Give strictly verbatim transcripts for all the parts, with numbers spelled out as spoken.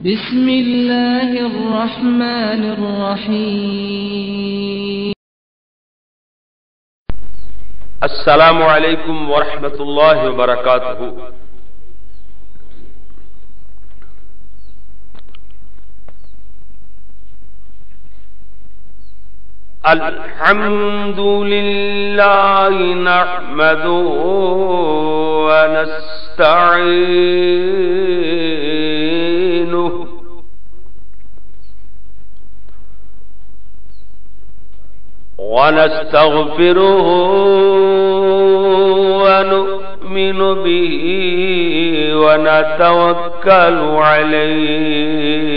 بسم الله الرحمن الرحيم. السلام عليكم ورحمة الله وبركاته. الحمد لله نحمده ونستعينه ونستغفره ونؤمن به ونتوكل عليه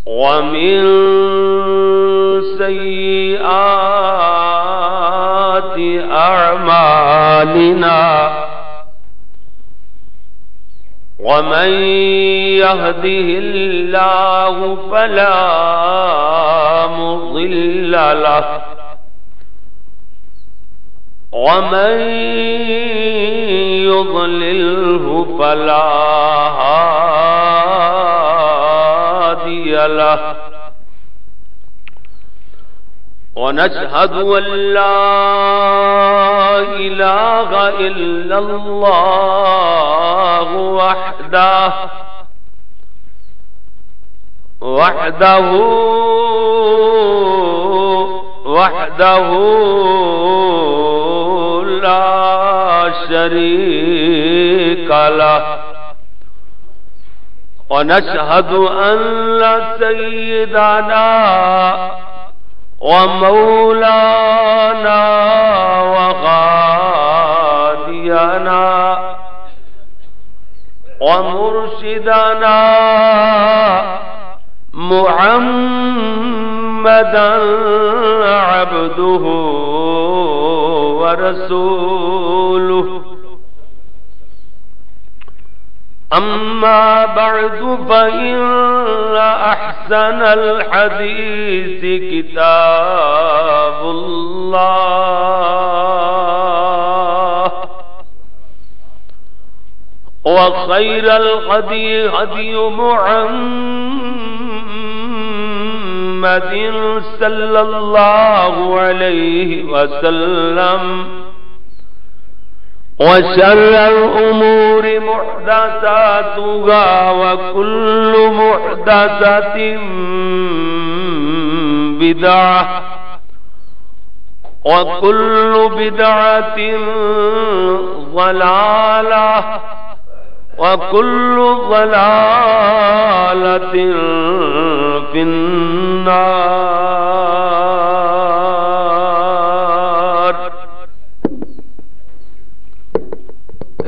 ومن سيئات أعمالنا. ومن يهده الله فلا مضل له، ومن يضلله فلا هادي له. ونشهد أن لا إله إلا الله وحده، وحده، وحده لا شريك له. ونشهد أن سيدنا ومولانا وهادينا ومرشدنا محمدا عبده ورسوله. أما بعد، فإن أحسن الحديث كتاب الله، وخير الهدي هدي محمد صلى الله عليه وسلم، وشر الأمور محدثاتها، وكل محدثة بدعة، وكل بدعة ضلالة، وكل ضلالة في النار.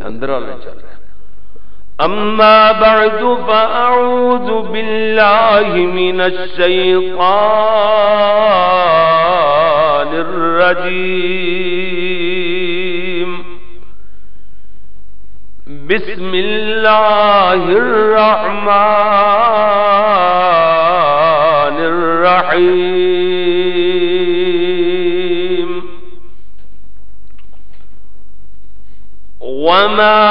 اندر والے چل رہے۔ أما بعد، فأعوذ بالله من الشيطان الرجيم. بسم الله الرحمن الرحيم. وما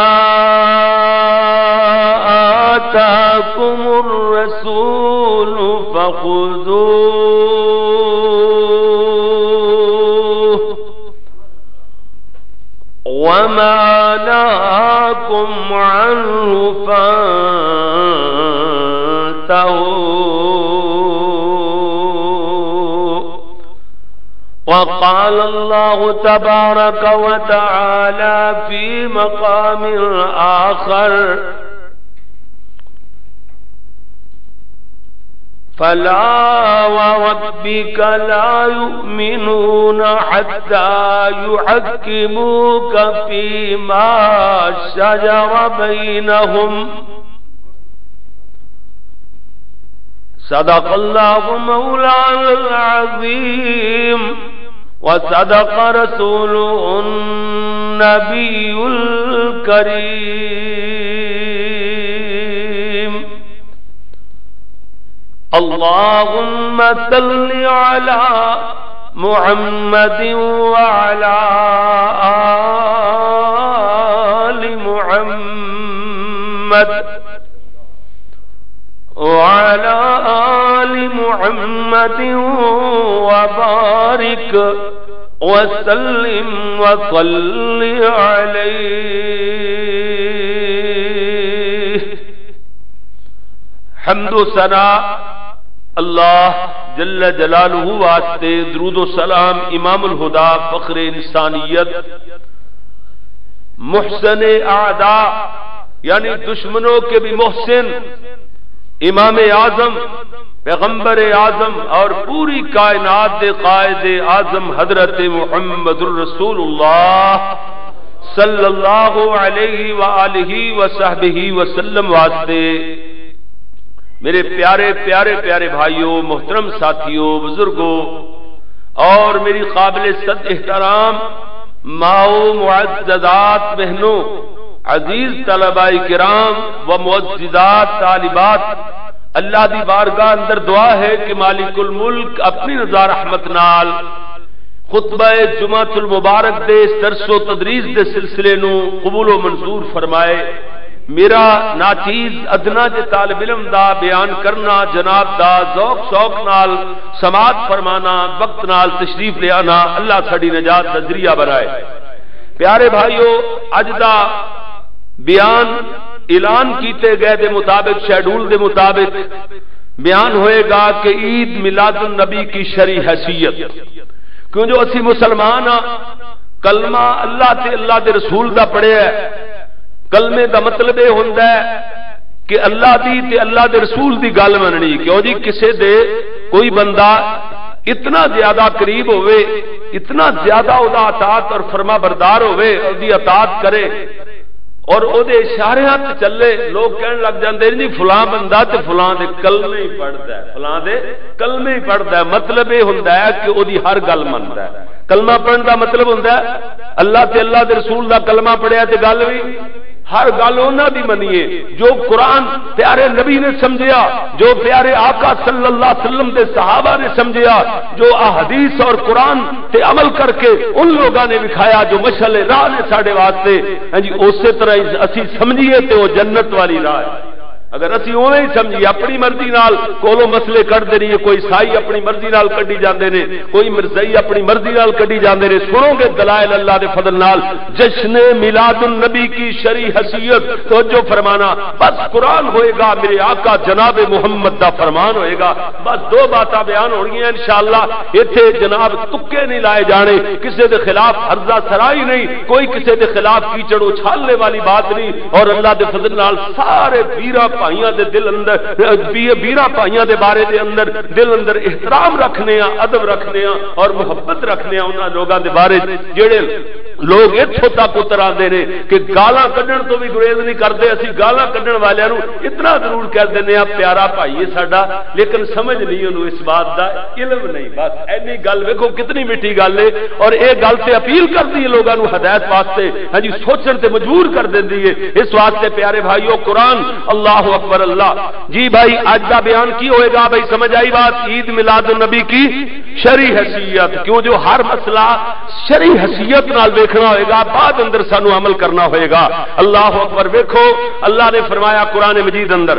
آتاكم الرسول فخذوه، وما نهاكم عنه فانتهوا. وقال الله تبارك وتعالى في مقام آخر: فلا وربك لا يؤمنون حتى يحكموك فيما شجر بينهم. صدق الله مولانا العظيم، وصدق رسوله النبي الكريم. اللهم صل على محمد وعلى محمد وعلى آل محمد وبارك وسلم وصل عليه۔ حمد و ثنا اللہ جل جلالہ واسطے، درود و سلام امام الہدا، فخر انسانیت، محسن اعداء، یعنی دشمنوں کے بھی محسن، امام اعظم، پیغمبر اعظم اور پوری کائنات دے قائد اعظم حضرت محمد الرسول اللہ صلی اللہ علیہ وآلہ وصحبہ وسلم واسطے۔ میرے پیارے، پیارے، پیارے بھائیوں، محترم ساتھیوں، بزرگوں اور میری قابل صد احترام ماؤں، معززات بہنوں، عزیز طلباء کرام و معززات طالبات، اللہ دی بارگاہ اندر دعا ہے کہ مالک الملک اپنی رضا رحمت نال خطبہ جمعۃ المبارک دے اس درس و تدریس دے سلسلے نو قبول و منظور فرمائے۔ میرا ناچیز ادنا جے طالب علم دا بیان کرنا، جناب دا ذوق شوق نال سماعت فرمانا، وقت نال تشریف لے آنا، اللہ ساڈی نجات دا ذریعہ بنائے۔ پیارے بھائیو، اج دا بیان اعلان کیتے گئے دے مطابق، شیڈول دے مطابق بیان ہوئے گا کہ عید میلاد النبی کی شرعی حیثیت۔ کیوں جو اسی مسلمان ہاں، کلمہ اللہ تے اللہ دے رسول دا پڑھیا ہے۔ کلمے دا مطلب یہ ہوندا ہے کہ اللہ دی تے اللہ دے رسول دی گل مننی۔ کیوں جی، کسے دے کوئی بندہ اتنا زیادہ قریب ہوئے، اتنا زیادہ او دا اطاعت اور فرما بردار ہوئے، او دی اطاعت کرے اور او دے اشاریاں تے چلے، لوگ کہن لگ جاندے نے، "جی فلاں بندہ تے فلاں دے کلمے ہی پڑھدا ہے، فلاں دے کلمے ہی پڑھدا ہے۔" مطلب یہ ہوندا ہے کہ او دی ہر گل مندا ہے۔ کلمہ پڑھن دا مطلب ہوندا ہے اللہ تے اللہ دے رسول دا کلمہ پڑھیا تے گل وی، ہر گل انہاں دی منیے جو قرآن پیارے نبی نے سمجھیا، جو پیارے آقا صلی اللہ علیہ وسلم دے صحابہ نے سمجھیا، جو احادیث اور قرآن تے عمل کر کے ان لوگاں نے وکھایا جو مشعل راہ نے ساڈے واسطے۔ ہاں جی، اسی طرح اسی سمجھیے تے وہ جنت والی راہ ہے۔ اگر اسی اوویں ہی سمجھیے، اپنی مرضی نال کولوں مسئلے کڈ دے رہیے، کوئی سائی اپنی مرضی نال کڈی جاندے نے، کوئی مرزائی اپنی مرضی نال کڈی جاندے نے۔ سنو گے دلائل اللہ دے فضل نال، جشن میلاد النبی کی شرعی حیثیت، توجہ فرمانا، بس قرآن ہوئے گا، میرے آقا جناب محمد دا فرمان ہوئے گا، بس دو باتاں بیان ہونگیاں انشاءاللہ۔ ایتھے جناب تکے نہیں لائے جانے، کسے دے خلاف ہرزہ سرائی نہیں، کوئی کسے دے خلاف کیچڑ اچھالنے والی بات نہیں۔ اور اللہ دے فضل نال سارے ویراں بھائیاں دے دل اندر، وی-، ویراں بھائیاں دے بارے دے اندر، دل اندر احترام رکھنے آ، ادب رکھنے آ اور محبت رکھنے آ انہاں لوگاں دے بارے جڑے لوگ اتھوں تک اتر آندے نے کہ گالاں کڈن تو بھی گریز نہیں کردے۔ اسی گالاں کڈن والیاں نوں اتنا ضرور کہہ دینے آ، "پیارا بھائی ہے ساڈا"، لیکن سمجھ نہیں انہوں اس بات دا، علم نہیں۔ بس اینی گل ویکھو، کتنی میٹھی گل ہے، اور یہ گل تے اپیل کردی ہے لوگاں نوں ہدایت واسطے، ہاں جی، سوچن تے مجبور کر دیندی ہے۔ اس واسطے پیارے بھائیو، قرآن، اللہ اکبر، اللہ۔ جی بھائی، اج دا بیان کی ہوئے گا؟ بھائی، سمجھ آئی بات؟ عید میلاد النبی کی شرعی حیثیت، کیوں جو ہر مسئلہ شرعی حیثیت نال ویکھنا ہوئے گا، بعد اندر سانو عمل کرنا ہوئے گا۔ اللہ اکبر۔ ویکھو، اللہ نے فرمایا قرآن مجید اندر،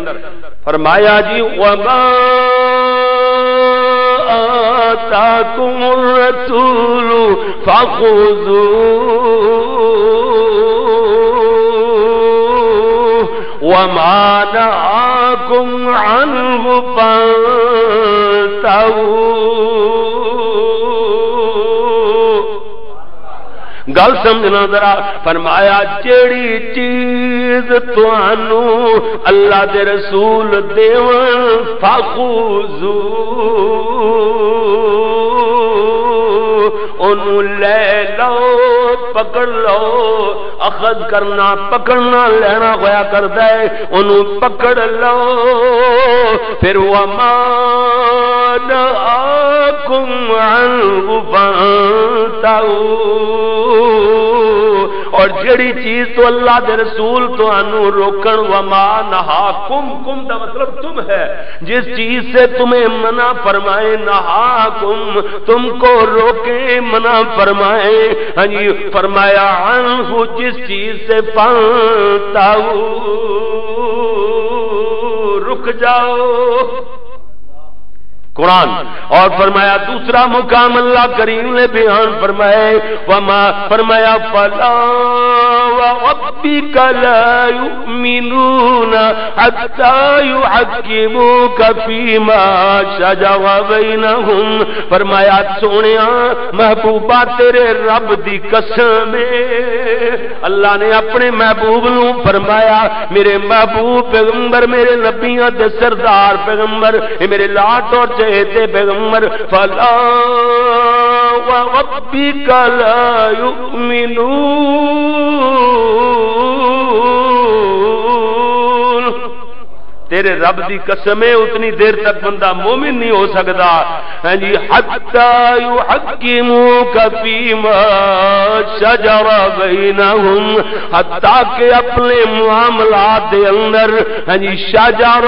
فرمایا جی، "وما آتاکم الرسول فخذوہ وما نہاکم عنہ فانتہوا۔" گل سمجھنا ذرا، فرمایا، جیڑی چیز تانوں اللہ دے رسول دیون، فخذو، اونوں لے لو، پکڑ لو۔ اخذ کرنا، پکڑنا، لینا ہویا کردا ہے، اونوں پکڑ لو۔ پھر وما نہاکم عنہ فانتہوا، اور جڑی چیز تو اللہ دے رسول تانوں روکن، وما نہاکم، کم دا مطلب تم ہے، جس چیز سے تمہیں منع فرمائے، نہاکم، تم کو روکے، منع فرمائے، ہاں جی، فرمایا عنہ، جس چیز سے، فانتہوا، جاؤ۔ قرآن۔ اور فرمایا، دوسرا مقام اللہ کریم نے بیان فرمائے، وما، فرمایا، فلا وربك لا يؤمنون حتى يحكموك فيما شجر بينهم۔ فرمایا، سونیا، محبوبہ، تیرے رب دی قسم ہے، اللہ نے اپنے محبوب نو فرمایا، میرے محبوب پیغمبر، میرے نبیاں دے سردار پیغمبر، اے میرے لاٹ اور چہیتے پیغمبر، فلا وربك لا يؤمنون۔ تیرے رب دی قسم ہے، اتنی دیر تک بندہ مومن نہیں ہو سکدا۔ ہاں جی، حتی یحکموک فیما شجر بینہم، حتیٰ کہ اپنے معاملات دے اندر، ہاں جی، شجر،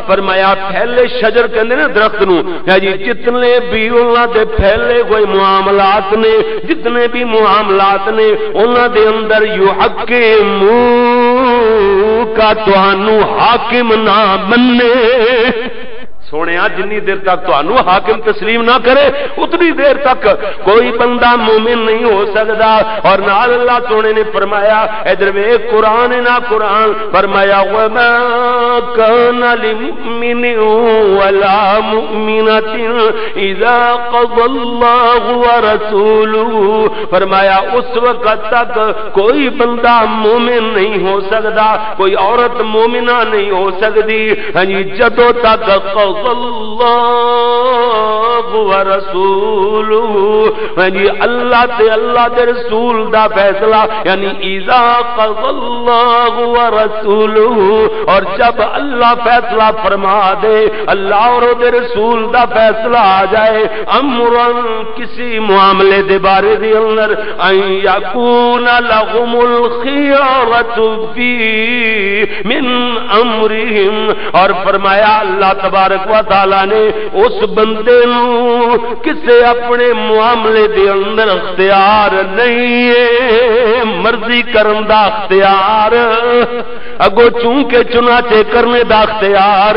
فرمایا پھیلے، شجر کہندے نے درخت نو، ہاں جی، جتنے بھی انہاں دے پھیلے ہوئے معاملات نے، جتنے بھی معاملات نے، انہاں دے اندر یحکموک، تانوں حاکم نہ مننے۔ سونیا، جنی دیر تک تانوں حاکم تسلیم نہ کرے، اتنی دیر تک کوئی بندہ مومن نہیں ہو سکدا۔ اور نال اللہ سونے نے فرمایا، ادھر ویکھ، قرآن نہ قرآن، فرمایا، وما كان لمؤمن ولا مؤمنة إذا قضى الله ورسوله، فرمایا، اس وقت تک کوئی بندہ مومن نہیں ہو سکدا، کوئی عورت مومنہ نہیں ہو سکدی، ہاں جی، جدوں تک قضى الله ورسوله، ہاں جی، اللہ تے اللہ دے رسول دا فیصلہ، یعنی اذا قضى الله ورسوله، اور جب اللہ فیصلہ فرما دے، اللہ اور دے رسول دا فیصلہ آ جائے، امرا، کسی معاملے دے بارے دے اندر، ان یکون لهم الخیارۃ فی من امرہم، اور فرمایا اللہ تبارک و تعالی نے اس بندے نو کسے اپنے معاملے دے اندر اختیار نہیں ہے، مرضی کرن دا اختیار، اگوں چونکہ چنانچہ کرنے دا اختیار،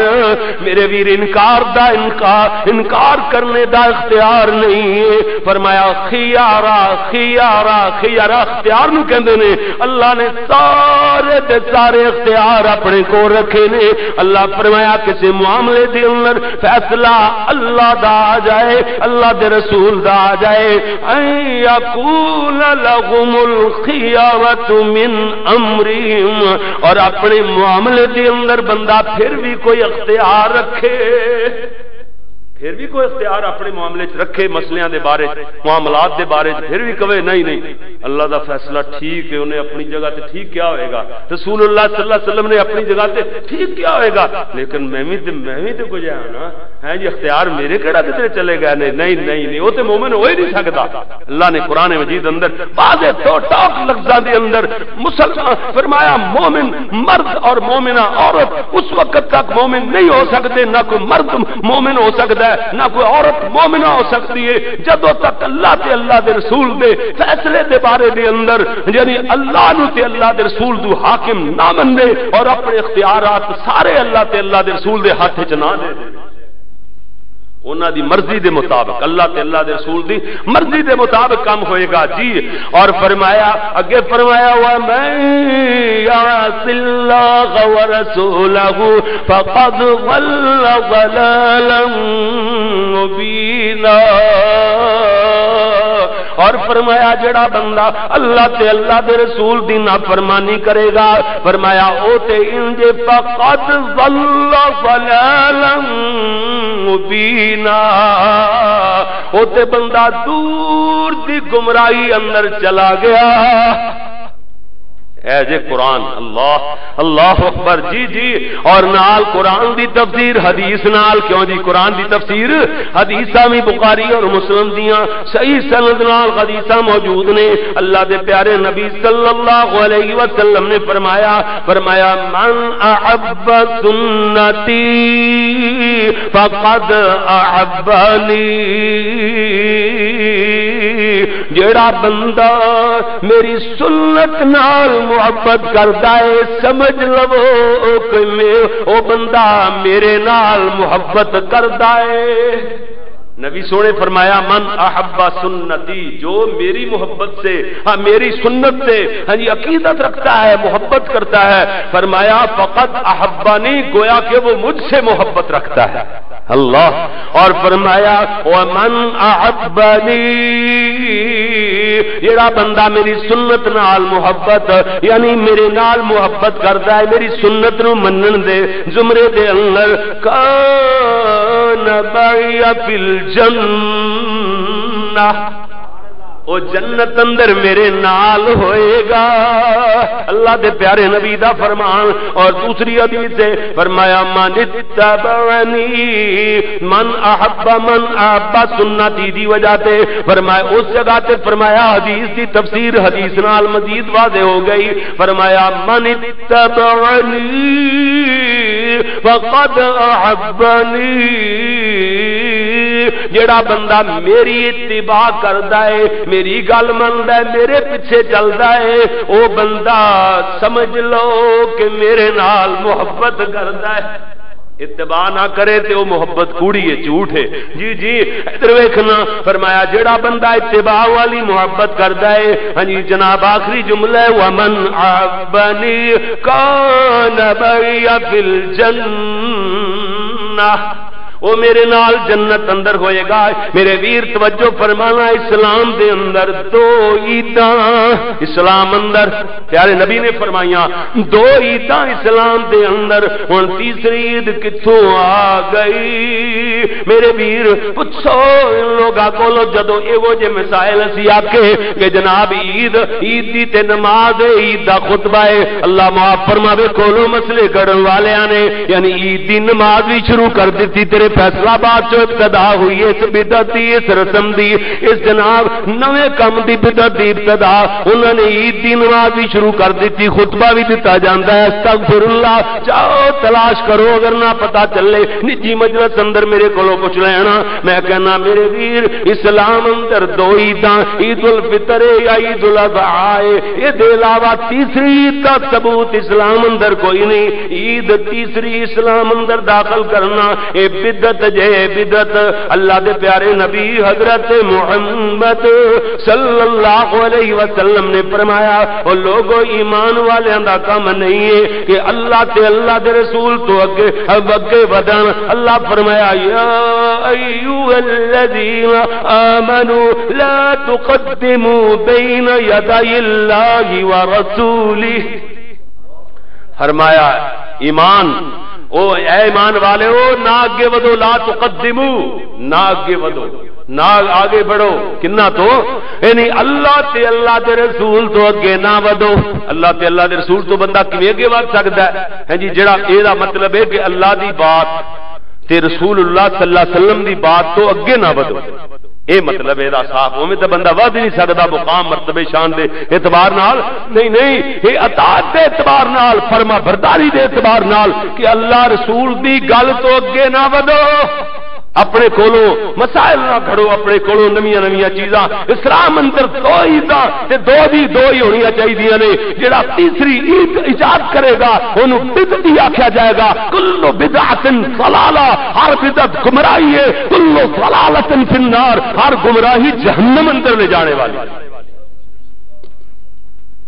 میرے ویر، انکار دا انکار، انکار کرنے دا اختیار نہیں ہے۔ فرمایا، خیارا، خیارا، خیارا اختیار نو کہندے نے۔ اللہ نے سارے دے سارے اختیار اپنے کو رکھے نے۔ اللہ فرمایا، کسی معاملے دے اندر فیصلہ اللہ دا آ جائے، اللہ دے رسول دا آ جائے، ان یکون لهم الخیارۃ من امرہم، اور اپنے معاملے دے اندر بندہ پھر بھی کوئی اختیار رکھے، پھر بھی کوئی اختیار اپنے معاملے چ رکھے، مسئلیاں دے بارے چ، معاملات دے بارے چ، پھر بھی کہے، نہیں، نہیں، اللہ دا فیصلہ ٹھیک ہے، انہیں اپنی جگہ تے ٹھیک کیا ہوئے گا، رسول اللہ صلی اللہ علیہ وسلم نے اپنی جگہ تے ٹھیک کیا ہوئے گا، لیکن میں بھی تے، میں بھی تے کچھ ہے نا، ہیں جی، اختیار میرے کہڑا کدھر چلے گئے نے؟ نہیں، نہیں، نہیں، وہ تے مومن ہو ہی نہیں سکتا۔ اللہ نے قرآن مجید اندر واضح طور ٹاک لفظاں دے اندر مسلمان فرمایا، مومن مرد اور مومنہ عورت اس وقت تک مومن نہیں ہو سکتے، نہ کوئی مرد مومن ہو سکتا ہے، نہ کوئی عورت مومنہ ہو سکتی ہے، جدوں تک اللہ تے اللہ دے رسول دے فیصلے دے بارے دے اندر، یعنی اللہ نو تے اللہ دے رسول دو حاکم نہ مننے اور اپنے اختیارات سارے اللہ تے اللہ دے رسول دے ہاتھ وچ نہ دے دے۔ انہاں دی مرضی دے مطابق، اللہ تے اللہ دے رسول دی مرضی دے مطابق کام ہوئے گا جی۔ اور فرمایا، اگے فرمایا، ومن یعص اللہ ورسولہ فقد ضل ضلالا مبینا۔ اور فرمایا، جڑا بندہ اللہ تے اللہ دے رسول دی نافرمانی کرے گا، فرمایا، او تے انج فقد ضل ضلالا مبینا، او تے بندہ دور دی گمراہی اندر چلا گیا۔ اے جے قرآن، اللہ، اللہ اکبر، جی، جی۔ اور نال قرآن دی تفسیر حدیث نال، کیوں جی؟ قرآن دی تفسیر حدیثاں بھی بخاری اور مسلم دیاں صحیح سند نال حدیثاں موجود نے۔ اللہ دے پیارے نبی صلی اللہ علیہ وسلم نے فرمایا، فرمایا، من احب سنتی فقد احبنی۔ جیڑا بندہ میری سنت نال محبت کردا ہے، سمجھ لو کہ میں، او بندہ میرے نال محبت کردا ہے۔ نبی سونے فرمایا، "من احب سنتی"، جو میری محبت سے، ہاں، میری سنت سے، ہاں جی، عقیدت رکھتا ہے، محبت کرتا ہے، فرمایا، "فقد احبنی"، گویا کہ وہ مجھ سے محبت رکھتا ہے۔ اللہ۔ اور فرمایا، "ومن احبنی"، جڑا بندہ میری سنت نال محبت، یعنی میرے نال محبت کردا ہے، میری سنت نو منن دے زمرے دے اندر، کان معی فی الجنہ، او جنت اندر میرے نال ہوئے گا۔ اللہ دے پیارے نبی دا فرمان۔ اور دوسری حدیث سے فرمایا، "من اتبعنی"، من احب، من احب سنتی دی وجہ تے فرمایا، اس جگہ تے فرمایا، حدیث دی تفسیر حدیث نال مزید واضح ہو گئی۔ فرمایا، "من اتبعنی فقد احبنی"، جڑا بندہ میری اتباع کردا ہے، میری گل مندا ہے، میرے پیچھے چلدا ہے، او بندہ سمجھ لو کہ میرے نال محبت کردا ہے۔ اتباع نہ کرے تے او محبت کوڑی ہے، جھوٹ ہے۔ جی، جی، ادھر ویکھنا، فرمایا، جڑا بندہ اتباع والی محبت کردا ہے، ہاں جی، جناب، آخری جملہ ہے، "ومن احبنی کان معی فی الجنہ"، وہ میرے نال جنت اندر ہوئے گا۔ میرے ویر، توجہ فرمانا، اسلام دے اندر دو عیداں، اسلام اندر، پیارے نبی نے فرمائیاں، دو عیداں اسلام دے اندر، ہن تیسری عید کتھوں آ گئی؟ میرے ویر، پچھو ان لوگاں کولو، جدوں ایہو جے مسائل اسی آکھے کہ جناب، عید، عید دی تے نماز ہے، عید دا خطبہ ہے، اللہ معاف فرماوے، کولو مسئلے گڑن والیاں نے، یعنی عید دی نماز بھی شروع کر دتی، تیرے فیصل آباد چوں ابتدا ہوئی ہے اس بدعت دی، اس رسم دی، اس جناب نویں کم دی بدعت دی ابتدا۔ انہاں نے عید دی نماز بھی شروع کر دتی، خطبہ بھی دتا جاندا ہے۔ استغفر اللہ، جاؤ تلاش کرو، اگر نہ پتا چلے، نجی مجلس اندر میرے کولوں پوچھ لینا۔ میں کہنا، میرے ویر، اسلام اندر دو عیداں، عید الفطر ہے یا عید الاضحی ہے، یہ دے علاوہ تیسری عید کا ثبوت اسلام اندر کوئی نہیں۔ عید تیسری اسلام اندر داخل کرنا، اے بدعت جے، بدعت۔ اللہ دے پیارے نبی حضرت محمد صلی اللہ علیہ وسلم نے فرمایا، او لوگو، ایمان والیاں دا کم نہیں ہے کہ اللہ تے اللہ دے رسول تو اگے، اگے ودن۔ اللہ فرمایا، یا ایھا الذین آمنوا لا تقدموا بین یدی اللہ ورسولہ۔ فرمایا، ایمان، او اے ایمان والے، او نہ اگے ودو، لا تقدمو، نہ اگے ودو، نہ آگے بڑھو۔ کنا تو؟ یعنی اللہ تے اللہ دے رسول تو اگے نہ ودو۔ اللہ تے اللہ دے رسول تو بندہ کیویں اگے ود سکدا ہے؟ ہاں جی، جڑا اے دا مطلب ہے کہ اللہ دی بات تے رسول اللہ صلی اللہ علیہ وسلم دی بات تو اگے نہ ودو۔ اے مطلب اے دا صاف، اوویں تے بندہ ودھ ہی نہیں سکدا مقام، مرتبے، شان دے اعتبار نال۔ نہیں، نہیں، اے اطاعت دے اعتبار نال، فرما برداری دے اعتبار نال کہ اللہ رسول دی گل تو اگے نہ ودو، اپنے کولوں مسائل نہ گھڑو، اپنے کولوں نویاں نویاں چیزاں۔ اسلام اندر دو عیداں تے دو دی دو ہی ہونیاں چاہیدیاں نے۔ جڑا تیسری عید ایجاد کرے گا، اونوں بدعتی آکھیا جائے گا۔ کل بدعت ضلالہ، ہر بدعت گمراہی ہے۔ کل ضلالۃ فی النار، ہر گمراہی جہنم اندر لے جانے والی۔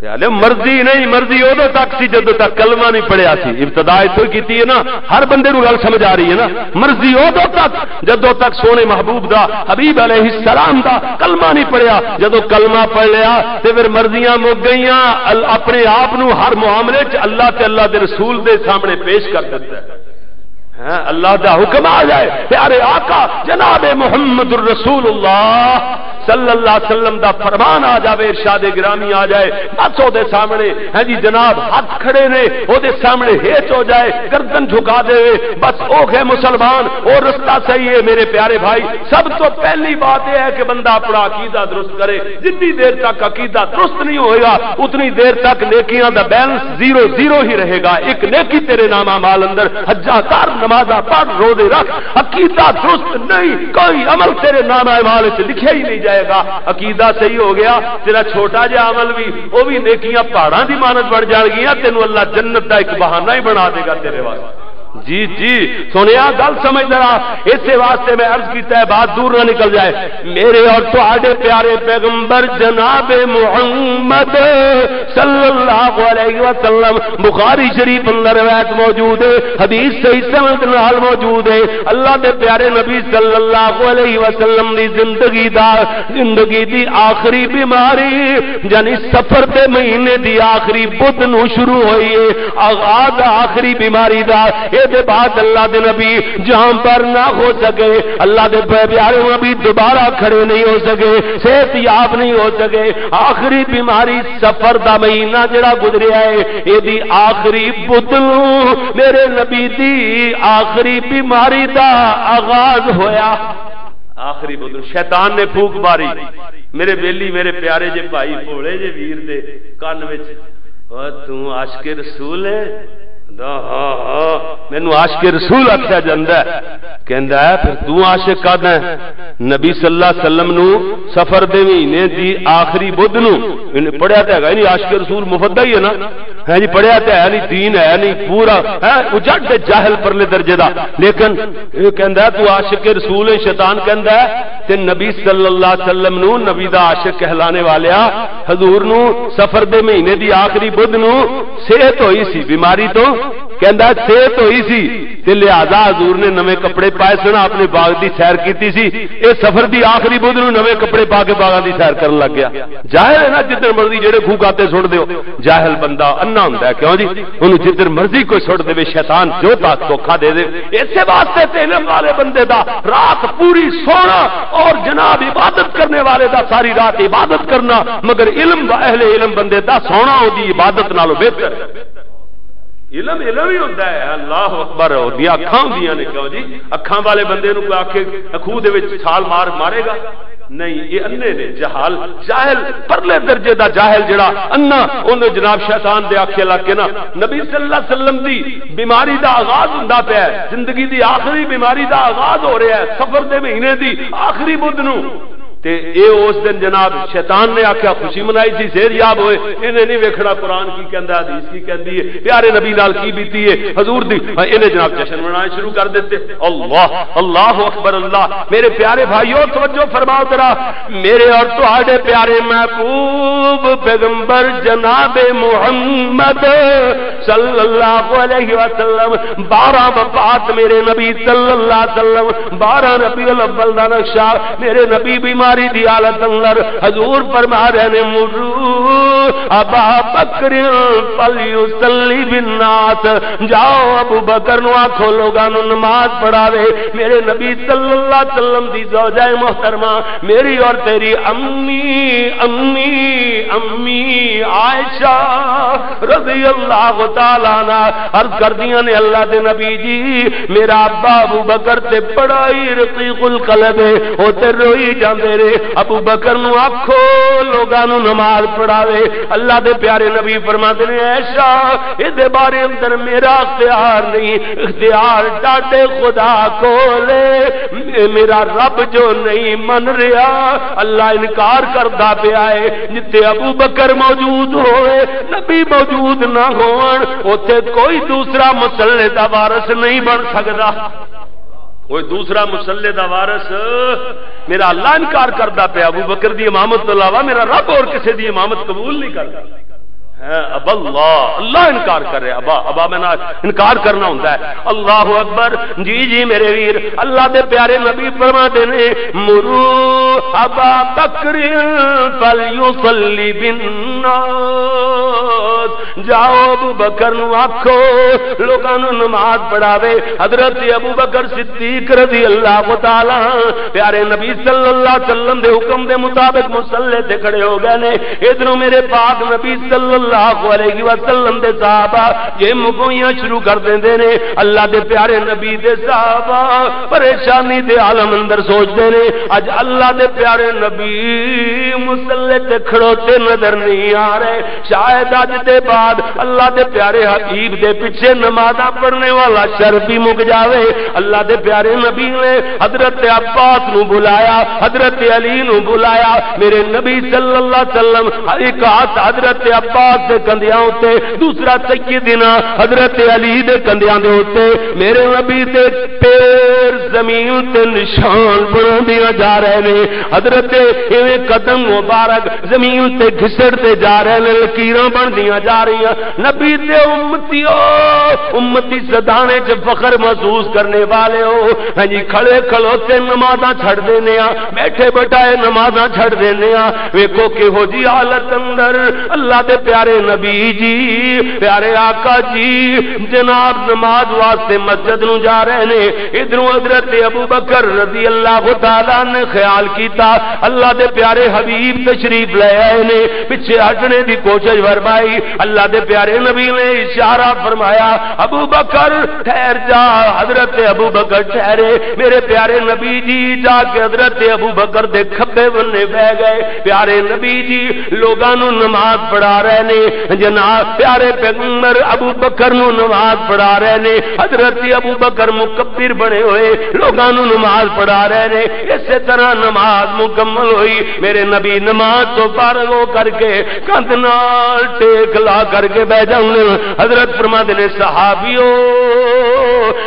تے آلے مرضی نہیں، مرضی ادو تک سی جدو تک کلمہ نہیں پڑھیا سی۔ ابتدا اتھوں ہی کیتی ہے نا، ہر بندے نوں گل سمجھ آ رہی ہے نا۔ مرضی ادو تک جدو تک سونے محبوب دا، حبیب علیہ السلام دا کلمہ نہیں پڑھیا۔ جدو کلمہ پڑھ لیا تے پھر مرضیاں مک گئیاں۔ ال-، اپنے آپ نو ہر معاملے چ اللہ تے اللہ دے رسول دے سامنے پیش کر دیتا ہے۔ ہاں، اللہ دا حکم آ جائے، پیارے آقا جناب محمد الرسول اللہ صلی اللہ علیہ وسلم دا فرمان آ جائے، ارشاد گرامی آ جائے، بس او دے سامنے، ہاں جی جناب، ہاتھ کھڑے نے، او دے سامنے ہیچ ہو جائے، گردن جھکا دے، بس او ہے مسلمان، او رستہ صحیح ہے۔ میرے پیارے بھائی، سب تو پہلی بات یہ ہے کہ بندہ اپنا عقیدہ درست کرے۔ جتنی دیر تک عقیدہ درست نہیں ہوئے گا، اتنی دیر تک نیکیاں دا بیلنس زیرو زیرو ہی رہے گا۔ ایک نیکی تیرے نام اعمال اندر ہزار نمازاں پڑھ، روزے رکھ، عقیدہ درست نہیں، کوئی عمل تیرے نام اعمال وچ لکھیا ہی نہیں جائے گا۔ عقیدہ صحیح ہو گیا، تیرا چھوٹا جہا عمل بھی، وہ بھی نیکیاں پہاڑاں دی مانت بن جان گیاں، تینوں اللہ جنت دا ایک بہانہ ہی بنا دے گا تیرے واسطے۔ جی، جی، سنیا گل سمجھ ذرا، اس واسطے میں عرض کیتا ہے، بات دور نہ نکل جائے۔ میرے اور تہاڈے پیارے پیغمبر جناب محمد صلی اللہ علیہ وسلم، بخاری شریف اندر روایت موجود ہے، حدیث صحیح سند نال موجود ہے۔ اللہ دے پیارے نبی صلی اللہ علیہ وسلم دی زندگی دا، زندگی دی آخری بیماری، یعنی سفر دے مہینے دی آخری بدھ نو شروع ہوئی ہے۔ آغاز آخری بیماری دا، اے دے بعد اللہ دے نبی جہاں پر نہ ہو سکے، اللہ دے پیارے نبی دوبارہ کھڑے نہیں ہو سکے، صحت یاب نہیں ہو سکے۔ آخری بیماری سفر دا مہینہ جڑا گزریا ہے، اے دی آخری بدھ نو میرے نبی دی آخری بیماری دا آغاز ہویا۔ آخری بدھ نو شیطان نے پھوک ماری، میرے بیلی، میرے پیارے جے بھائی، بھولے جے ویر دے کان وچ، "او توں عاشق رسول ہے؟" دا، "ہاں، ہاں، مینوں عاشق رسول آکھیا جاندا ہے۔" کہندا ہے، "پھر توں عاشق کد ہے؟" نبی صلی اللہ علیہ وسلم نو سفر دے مہینے دی آخری بدھ نو، انہیں پڑھیا تے ہے نہیں، عاشق رسول مفدا ہی ہے نا، ہے جی، پڑھیا تے ہے نہیں، دین ہے نہیں، پورا ہے اجڑ تے جاہل پرلے درجے دا۔ لیکن یہ کہندا ہے، "تو عاشق رسول ہے۔" شیطان کہندا ہے، تے نبی صلی اللہ علیہ وسلم نو نبی دا عاشق کہلانے والیا، حضور نو سفر دے مہینے دی آخری بدھ نو صحت ہوئی سی بیماری تو، کہندا ہے، صحت ہوئی سی، تے لہذا حضور نے نویں کپڑے پائے سن، اپنے باغ دی سیر کیتی سی۔ اے سفر دی آخری بدھ نو نویں کپڑے پا کے باغاں دی سیر کرن لگ گیا۔ جاہل ہے نا، جدھر مرضی جڑے کھو کاتے سٹ دیو۔ جاہل بندہ انا ہوندا ہے، کیوں جی؟ انہوں جدھر مرضی کوئی سٹ دے، شیطان جو تاک دھوکا دے دے۔ اسے واسطے تے علم والے بندے دا رات پوری سونا اور جناب عبادت کرنے والے دا ساری رات عبادت کرنا، مگر علم، اہل علم بندے دا سونا، او دی عبادت نالوں بہتر ہے۔ علم علم ہی ہوندا ہے۔ اللہ اکبر، او دی اکھاں ہوندیاں نے، کیوں جی؟ اکھاں والے بندے نوں کوئی آکھے، کھوہ دے وچ چھال مار، مارے گا؟ نہیں، یہ انے نے، جہال، جاہل، پرلے درجے دا جاہل جڑا انا، اونوں جناب شیطان دے آکھے لگ کے نا، نبی صلی اللہ علیہ وسلم دی بیماری دا آغاز ہوندا پیا ہے، زندگی دی آخری بیماری دا آغاز ہو رہا ہے، سفر دے مہینے دی آخری بدھ نو۔ تے اے اس دن جناب شیطان نے آکھیا خوشی منائی سی، صحت یاب ہوئے، انہیں نہیں ویکھنا قرآن کی کہندا، حدیث کی کہندی ہے، پیارے نبی نال کی بیتی ہے، حضور دی، انہیں جناب جشن منانے شروع کر دیتے۔ اللہ، اللہ اکبر، اللہ۔ میرے پیارے بھائیو، توجہ فرماؤ ذرا، میرے اور تہاڈے پیارے محبوب پیغمبر جناب محمد صلی اللہ علیہ وسلم، بارہ وفات میرے نبی صلی اللہ علیہ وسلم، بارہ ربیع الاول دا نقشہ، میرے نبی بیماری دی حالت اندر حضور فرما رہے نے، "مرو ابا بکر فلیصلی بالناس"، جاؤ ابو بکر نو آکھو لوگاں نو نماز پڑھاوے۔ میرے نبی صلی اللہ علیہ وسلم دی زوجہ محترمہ، میری اور تیری امی، امی، امی عائشہ رضی اللہ تعالیٰ عنہ عرض کردیاں نے، "اللہ دے نبی جی، میرا ابا ابو بکر تے بڑا ہی رقیق القلب ہے، او تے روئی جاندے نے، ابو بکر نو آکھو لوگاں نو نماز پڑھاوے۔" اللہ دے پیارے نبی فرماندے نے، "عائشہ، اے دے بارے اندر میرا اختیار نہیں، اختیار ڈاڈے خدا کول ہے۔" میرا رب جو نہیں من رہا، اللہ انکار کردا پیا ہے۔ جتھے ابو بکر موجود ہوئے، نبی موجود نہ ہون، اوتھے کوئی دوسرا مصلے دا وارث نہیں بن سکدا۔ کوئی دوسرا مصلے دا وارث، میرا اللہ انکار کردا پیا، ابو بکر دی امامت تو علاوہ میرا رب اور کسے دی امامت قبول نہیں کردا۔ ہاں، ابا اللہ، اللہ انکار کر رہے، ابا، ابا میں نہ انکار کرنا ہوندا ہے۔ اللہ اکبر۔ جی، جی، میرے ویر، اللہ دے پیارے نبی فرما دے نے، "مرو ابا بکر فلیصلی بالناس"، جاؤ ابو بکر نو آکھو، لوکاں نو نماز پڑھاوے۔ حضرت ابو بکر صدیق رضی اللہ تعالیٰ عنہ، پیارے نبی صلی اللہ علیہ وسلم دے حکم دے مطابق مصلے تے کھڑے ہو گئے نے۔ ادھروں میرے پاک نبی صلی اللہ اللہ علیہ وسلم دے صحابہ یہ مگوئیاں شروع کر دیندے نے۔ اللہ دے پیارے نبی دے صحابہ پریشانی دے عالم اندر سوچدے نے، اج اللہ دے پیارے نبی مصلی تے کھڑوتے نظر نہیں آ رہے۔ شاید اج دے بعد اللہ دے پیارے حبیب دے پیچھے نمازاں پڑھنے والا شر بھی مک جاوے۔ اللہ دے پیارے نبی نے حضرت عباس نو بلایا، حضرت علی نو بلایا۔ میرے نبی صلی اللہ علیہ وسلم ایک ہاتھ حضرت عباس دے کندھیاں اُتے، دوسرا سیدنا حضرت علی دے کندھیاں دے اُتے۔ میرے نبی دے پیر زمین تے نشان بناندیاں جا رہے نے۔ حضرت ایویں قدم مبارک زمین تے گھسڑ تے جا رہے نے، لکیراں بندیاں جا رہیاں۔ نبی دے امتیو، امتی سدانے چ فخر محسوس کرنے والے ہو۔ ہاں جی، کھڑے کھلوتے نمازاں چھڈ دینے آ، بیٹھے بٹھائے نمازاں چھڈ دینے آ۔ ویکھو کہو جی حالت اندر اللہ دے پیارے نبی جی، پیارے آقا جی، جناب نماز واسطے مسجد نو جا رہے نے۔ ادھروں حضرت ابو بکر رضی اللہ تعالیٰ نے خیال کیتا، اللہ دے پیارے حبیب تشریف لے آئے نے، پیچھے ہٹنے دی کوشش فرمائی۔ اللہ دے پیارے نبی نے اشارہ فرمایا، "ابو بکر، ٹھہر جا۔" حضرت ابو بکر ٹھہرے۔ میرے پیارے نبی جی جا کے حضرت ابو بکر دے کھبے بننے بہ گئے۔ پیارے نبی جی لوگاں نو نماز پڑھا رہے نے، جناب پیارے پیغمبر ابو بکر نو نماز پڑھا رہے نے۔ حضرت ابو بکر مکبر بنے ہوئے لوگاں نو نماز پڑھا رہے نے۔ اسی طرح نماز مکمل ہوئی۔ میرے نبی نماز تو فارغ ہو کر کے کندھ نال ٹیک لا کر کے بہ جاؤں۔ حضرت فرماتے نے، "صحابیو،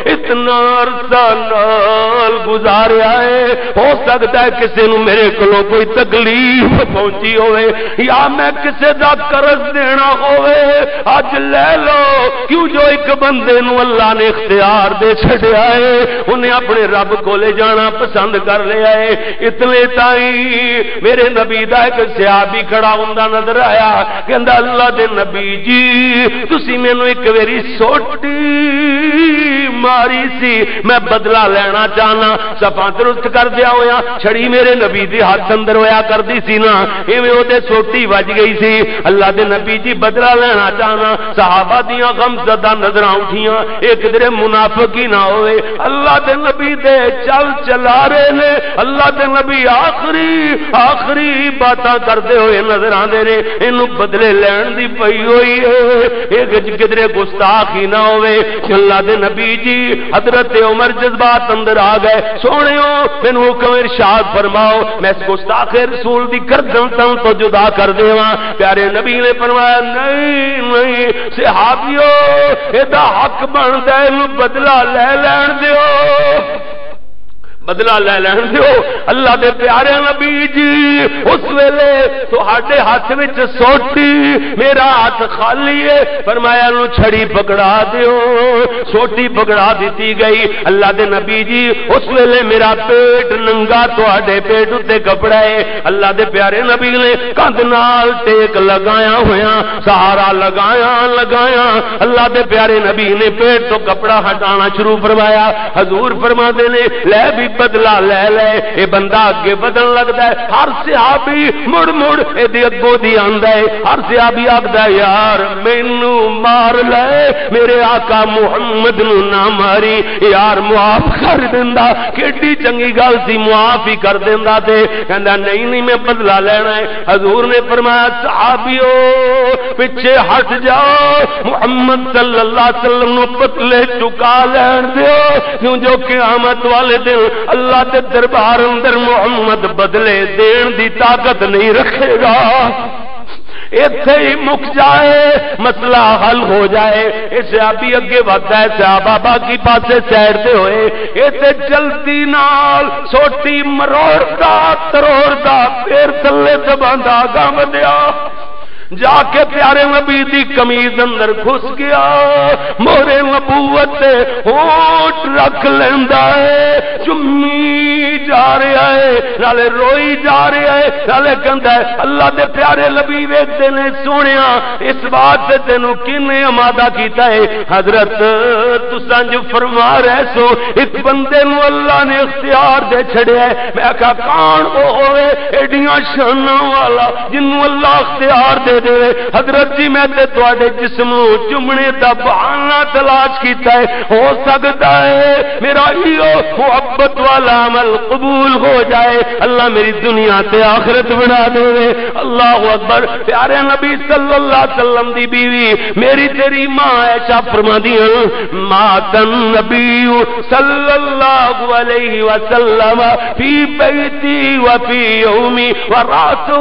اتنا عرصہ نال گزاریا ہے، ہو سکتا ہے کسی نو میرے کولوں کوئی تکلیف پہنچی ہوئے، یا میں کسی دا قرض دینا ہوئے، اج لے لو۔" کیوں جو ایک بندے نو اللہ نے اختیار دے چھڈیا ہے، انہیں اپنے رب کولے جانا پسند کر لیا ہے۔ اتنے تائیں میرے نبی دا ایک صحابی کھڑا ہوندا نظر آیا، کہندا، "اللہ دے نبی جی، تسی مینوں ایک ویری سوٹی ماری سی، میں بدلہ لینا چاہنا۔" صفاں درست کر دیا ہویا، چھڑی میرے نبی دے ہاتھ اندر ہویا کردی سی نا، ایویں او تے سوٹی وج گئی سی۔ اللہ دے نبی جی بدلہ لینا چاہنا، صحابہ دیاں غم زدہ نظراں اٹھیاں، اے کدرے منافق ہی نہ ہوئے۔ اللہ دے نبی دے چل چلا رہے نے، اللہ دے نبی آخری، آخری باتاں کردے ہوئے نظر آندے نے۔ اینوں بدلے لین دی پئی ہوئی ہے، اے کدرے گستاخ ہی نہ ہوئے۔ اللہ دے نبی جی، حضرت عمر جذبات اندر آ گئے، "سوہنیو، مینوں حکم ارشاد فرماؤ، میں اس گستاخ رسول دی گردن تن تو جدا کر دیواں۔" پیارے نبی نے فرمایا، "نہیں، نہیں، صحابیو، اے دا حق بندا ہے، اینوں بدلہ لے لین دیو۔" بدلہ لے لین دیو۔ اللہ دے پیارے نبی جی، اس ویلے تہاڈے ہاتھ وچ سوٹی، میرا ہاتھ خالی ہے۔ فرمایا، "نو چھڑی پکڑا دیو۔" سوٹی پکڑا دتی گئی۔ اللہ دے نبی جی، اس ویلے میرا پیٹ ننگا، تہاڈے پیٹ اُتے کپڑا ہے۔ اللہ دے پیارے نبی نے کندھ نال ٹیک لگایا ہویا، سہارا لگایا، لگایا۔ اللہ دے پیارے نبی نے پیٹ تو کپڑا ہٹانا شروع فرمایا۔ حضور فرما دے نے، "لے بھی بدلہ لے لے۔" اے بندہ اگے بدن لگدا ہے، ہر صحابی مڑ مڑ اے دے اگوں دی آندا ہے، ہر صحابی آکھدا ہے، "یار، مینوں مار لے، میرے آقا محمد نوں نہ ماری، یار، معاف کر دیندا۔" کیڈی چنگی گل سی، معاف ہی کر دیندا۔ تے کہندا، "نہیں، نہیں، میں بدلہ لینا ہے۔" حضور نے فرمایا، "صحابیو، پیچھے ہٹ جاؤ، محمد صلی اللہ علیہ وسلم نو بدلے چکا لین دیو، کیوں جو قیامت والے دن اللہ دے دربار اندر محمد بدلے دین دی طاقت نہیں رکھے گا۔" ایتھے ہی مک جائے، مسئلہ حل ہو جائے۔ اے صحابی اگے ودھدا ہے، صحابہ باقی پاسے سائیڈ تے ہوئے۔ اے تے جلدی نال سوٹی مروڑدا، تروڑدا، پھر تھلے دباندا اگاں ودھیا۔ جا کے پیارے نبی دی قمیض اندر گھس گیا، مہر نبوت تے ہونٹ رکھ لیندا ہے، چمی جا رہا ہے، نالے روئی جا رہا ہے، نالے کہندا ہے، "اللہ دے پیارے نبی ویکھدے نے، سوہنیا، اس بات تے تینوں کنے آمادہ کیتا ہے؟" "حضرت، تساں جو فرما رہے سو، ایک بندے نو اللہ نے اختیار دے چھڑیا ہے۔" میں کہا، "کون وہ ہوئے ایڈیاں شاناں والا جنوں اللہ اختیار دے دے، حضرت جی، میں تے تواڈے جسم نوں چومنے دا بہانہ تلاش کیتا ہے، ہو سکدا ہے میرا ایہو محبت والا عمل قبول ہو جائے، اللہ میری دنیا تے آخرت بنا دے۔ اللہ اکبر۔ پیارے نبی صلی اللہ علیہ وسلم دی بیوی، میری تیری ماں عائشہ فرماندی ہیں، مات النبی صلی اللہ علیہ وسلم فی بیتی و فی یومی و راتہ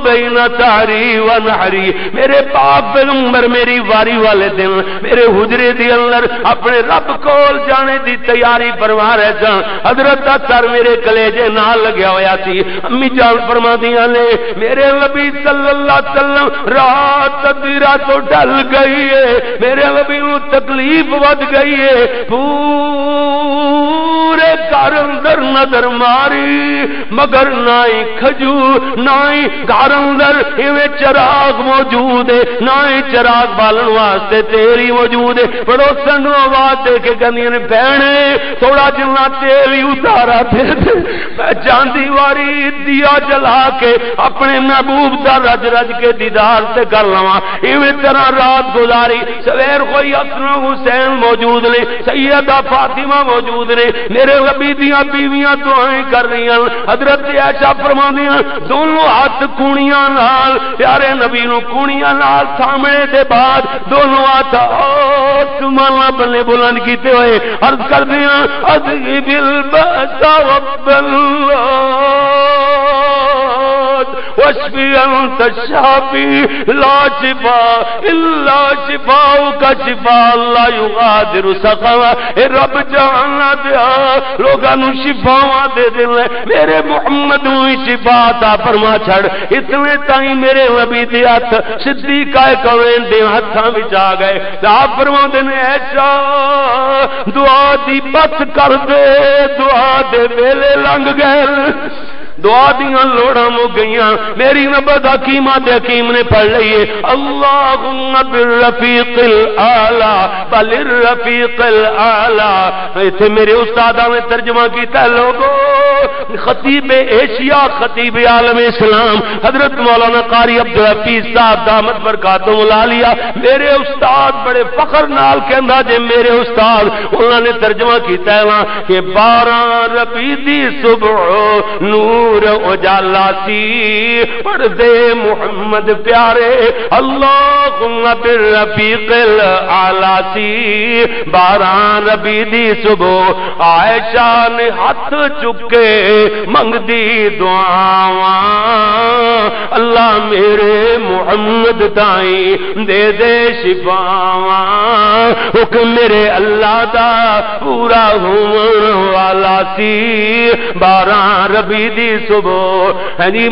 بین سحری و نحری۔ میرے پاک پیغمبر میری واری والے دن میرے حجرے دے اندر اپنے رب کول جانے دی تیاری فرما رہے سن۔ حضرت اثر میرے کلیجے نال لگیا ہویا سی۔ امی جان فرماندیاں نے، میرے نبی صلی اللہ علیہ وسلم، رات ادھی رات تو ڈھل گئی ہے، میرے نبی نوں تکلیف ود گئی ہے۔ پورے گھر اندر نظر ماری، مگر نہ ہی کھجور، نہ ہی گھر اندر ایویں چراغ موجود ہے، نہ ہی چراغ بالن واسطے تیل ہی موجود ہے۔ پڑوسن نوں آواز دے کے کہندیاں نے، بہنے، تھوڑا جنا تیل ہی اتارا دے دے، میں جاندی واری دیا جلا کے اپنے محبوب دا رج رج کے دیدار تے کر لواں۔ ایویں طرح رات گزاری۔ سویر ہوئی، حسن و حسین موجود نے، سیدہ فاطمہ موجود نے، میرے نبی دیاں بیویاں دعائیں کر رہی ہیں۔ حضرت عائشہ فرماندی ہیں، دونوں ہاتھ کونیاں نال پیارے نبی نوں کونیاں نال سامنے دے بعد دونوں ہاتھ آسماناں بلے بلند کیتے ہوئے عرض کردے ہیں، اذهب البأس رب الناس واشف انت الشافی لا شفاء الا شفاءک شفاء لا یغادر سقما۔ اے رب جہاناں دیا، لوگاں نوں شفاواں دے دے، میرے محمد نوں ہی شفا عطا فرما چھڑ۔ اتنے تائیں میرے نبی دے ہتھ صدیقہ کونین دے ہتھاں وچ آ گئے۔ تے آپ فرماندے نے، ایشا، دعا دی بس کر دے، دعا دے ویلے لنگ گئے، دعا دیاں لوڑاں مک گئیاں۔ میری نبض حکیمہ تے حکیم نے پڑھ لئی ہے، اللہم بالرفیق الاعلی، بل الرفیق الاعلی۔ ایتھے میرے استاداں نے ترجمہ کیتا ہے، لوگو، خطیب ایشیا، خطیب عالم اسلام، حضرت مولانا قاری عبدالحفیظ صاحب دامت برکاتہم العالیہ، میرے استاد، بڑے فخر نال کہندا جے، میرے استاد، انہاں نے ترجمہ کیتا ہے نا کہ بارہ ربیع دی صبح نور اجالا سی، پڑھدے محمد پیارے، اللہم بالرفیق الاعلی سی، بارہ ربیع دی صبح عائشہ نے ہاتھ چکے منگدی دعاواں، اللہ میرے محمد تائیں دے دے شفاواں۔ حکم میرے اللہ دا پورا ہون والا سی، بارہ ربیع دی صبح۔ ہاں جی،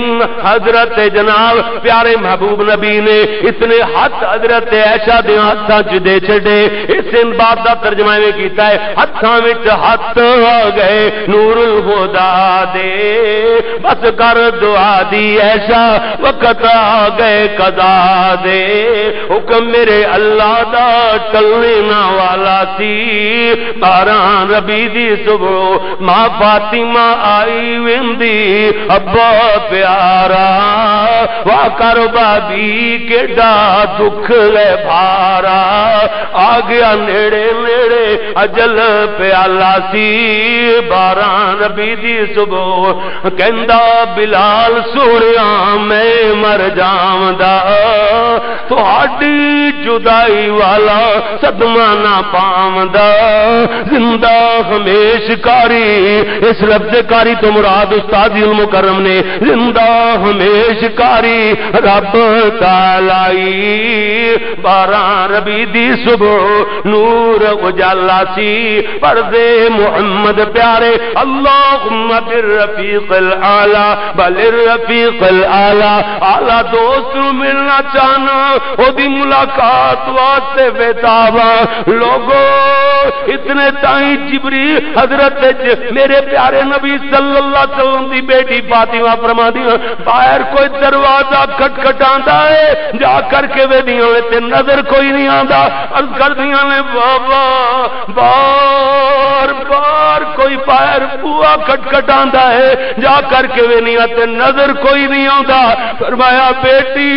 حضرت جناب پیارے محبوب نبی نے اتنے ہاتھ حضرت عائشہ دے ہاتھاں چ دے چھڈے۔ اس بات دا ترجمہ ایویں کیتا ہے، ہتھاں وچ ہتھ آ گئے نور الہدا دے، بس کر دعا دی، ایسا وقت آ گئے قضا دے۔ حکم میرے اللہ دا ٹلنے نہ والا سی، بارہ ربیع دی صبح ماں فاطمہ آئی ویندی، ابا پیارا، واہ کر بابی کیڈا دکھ لے بھارا، آ گیا نیڑے نیڑے اجل پیالہ سی، بارہ ربیع دی صبح کہندا، بلال سوہنیا میں مر جاوندا، تہاڈی جدائی والا صدمہ نہ پاوندا، زندہ ہمیش کاری، اس لفظ کاری تو مراد استاد المکرم نے، زندہ ہمیش کاری رب تعالی، بارہ ربیع دی صبح نور اجالا سی، پردے محمد پیارے، اللہم بالرفیق الاعلی، بل الرفیق الاعلی، اعلی دوست نوں ملنا چاہنا، او دی ملاقات واسطے بے تاباں۔ لوگو، اتنے تائیں جبریل حضرت ج-، میرے پیارے نبی صلی اللہ علیہ وسلم دی بیٹی فاطمہ فرماندی ہیں، باہر کوئی دروازہ کھٹکھٹاندا ہے، جا کر کے ویدیاں وے تے نظر کوئی نہیں آندا۔ عرض کردیاں نے، بابا، بار بار کوئی باہر بوا کھٹکھٹاندا ہے، جا کر کے ویدیاں تے نظر کوئی نہیں آندا۔ فرمایا، بیٹی،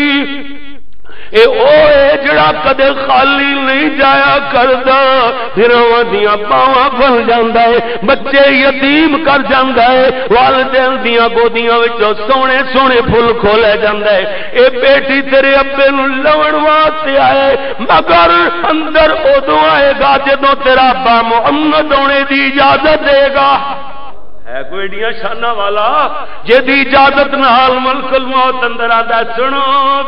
اے او اے جڑا کدے خالی نہیں جایا کردا، پھر اوہاں دیاں باواں بھل جاندا ہے، بچے یتیم کر جاندا ہے، والدین دیاں گودیاں وچوں سونے سونے پھل کھولے جاندا ہے۔ اے بیٹی تیرے ابے نوں لون واسطے آئے، مگر اندر ادوں آئے گا جدوں تیرا ابا محمد ہونے دی اجازت دے گا۔ ہے کوئی ایڈیاں شاناں والا جدی اجازت نال ملک الموت اندر آندا ہے؟ سنو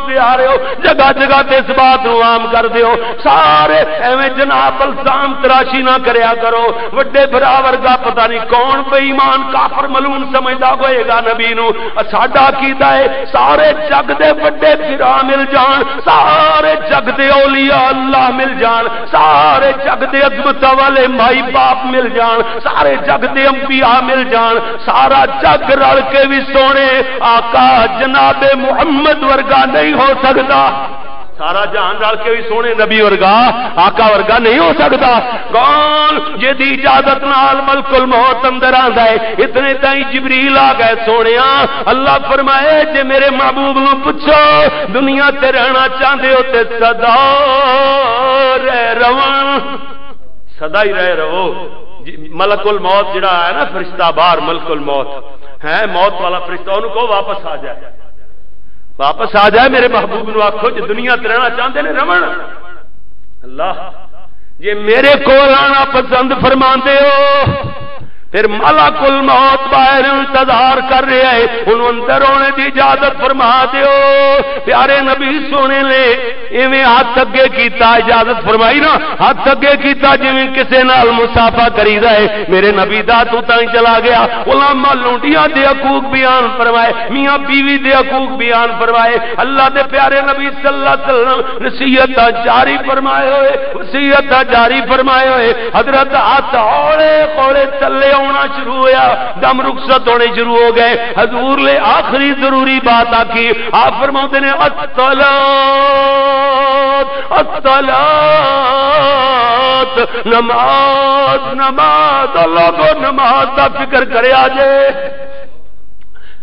پیاریو، جگہ جگہ تے اس بات نو عام کر دیو۔ سارے ایویں جناب الزام تراشی نہ کریا کرو۔ وڈے بھرا ورگا پتہ نہیں کون بے ایمان کافر ملعون سمجھدا ہوئے گا نبی نو۔ ساڈا عقیدہ ہے، سارے جگ دے وڈے بھرا مل جان، سارے جگ دے اولیاء اللہ مل جان، سارے جگ دے عظمتاں والے مائی باپ مل جان، سارے جگ دے انبیاء مل جان، سارا جگ رل کے بھی سونے آقا جناب محمد ورگا نہیں ہو سکدا۔ سارا جہان رل کے بھی سونے نبی ورگا، آقا ورگا نہیں ہو سکدا۔ کون؟ جدی اجازت نال ملک الموت اندر آندا ہے۔ اتنے تائیں جبریل آ گئے، سونیا، اللہ فرمائے، جے میرے محبوب نو پوچھو، دنیا تے رہنا چاہندے ہو تے سدا رہ رون، سدا ہی رہ رہو۔ جی، ملک الموت جڑا ہے نا، فرشتہ باہر، ملک الموت ہے، موت والا فرشتہ، انہوں کو واپس آ جائے، واپس آ جائے۔ میرے محبوب نو آکھو، جے دنیا تے رہنا چاہندے نے، رون۔ اللہ، جے میرے کول آنا پسند فرماندے ہو، پھر ملک الموت باہر انتظار کر رہا ہے، انہوں اندر ہونے دی اجازت فرما دیو۔ پیارے نبی سونے نے ایویں ہاتھ اگے کیتا، اجازت فرمائی نا، ہاتھ اگے کیتا جویں کسے نال مصافحہ کریدا ہے۔ میرے نبی دا ہاتھ اتاں ہی چلا گیا۔ علماء لونڈیاں دے حقوق بیان فرمائے، میاں بیوی دے حقوق بیان فرمائے۔ اللہ دے پیارے نبی صلی اللہ علیہ وسلم نصیحتاں جاری فرمائے ہوئے، وصیتاں جاری فرمائے ہوئے۔ حضرت ہاتھ ہولے ہولے تلے آنا شروع ہویا، دم رخصت ہونے شروع ہو گئے۔ حضور نے آخری ضروری بات آکی، آپ فرماتے نے، "الصلاۃ، الصلاۃ، نماز، نماز۔" لوگو، نماز دا فکر کریا جے۔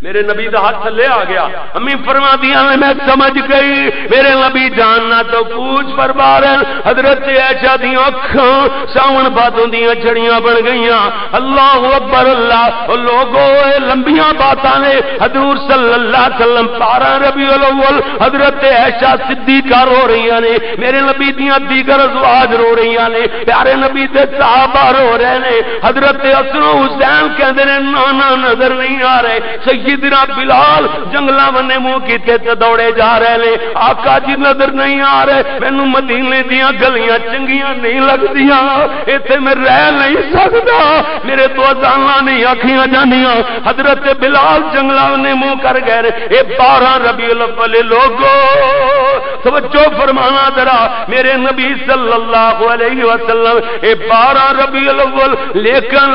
میرے نبی دا ہاتھ تھلے آ گیا۔ امی فرما دیا نے، میں سمجھ گئی، میرے نبی جاننا تو پوچھ پر بارن۔ حضرت عائشہ دیاں اکھاں ساون بادوں دیاں جھڑیاں بن گئیاں۔ اللہ اکبر اللہ۔ او لوگو، اے لمبیاں باتاں نے۔ حضور صلی اللہ علیہ وسلم، بارہ ربیع الاول، حضرت عائشہ صدیقہ رو رہیاں نے، میرے نبی دیاں دیگر ازواج رو رہیاں نے، پیارے نبی دے صحابہ رو رہے نے۔ حضرت حسن و حسین کہندے نے، نانا نظر نہیں آ رہے۔ سیدنا بلال جنگلاں ونے منہ کیتے تے دوڑے جا رہے نے، آقا جی نظر نہیں آ رہے، مینوں مدینے دیاں گلیاں چنگیاں نہیں لگدیاں، ایتھے میں رہ نہیں سکدا، میرے تو اذاناں نہیں آکھیاں جاندیاں۔ حضرت بلال جنگلاں نے منہ کر گئے نے۔ اے بارہ ربیع الاول، لوگو، توجہ فرمانا ذرا، میرے نبی صلی اللہ علیہ وسلم، اے بارہ ربیع الاول، لیکن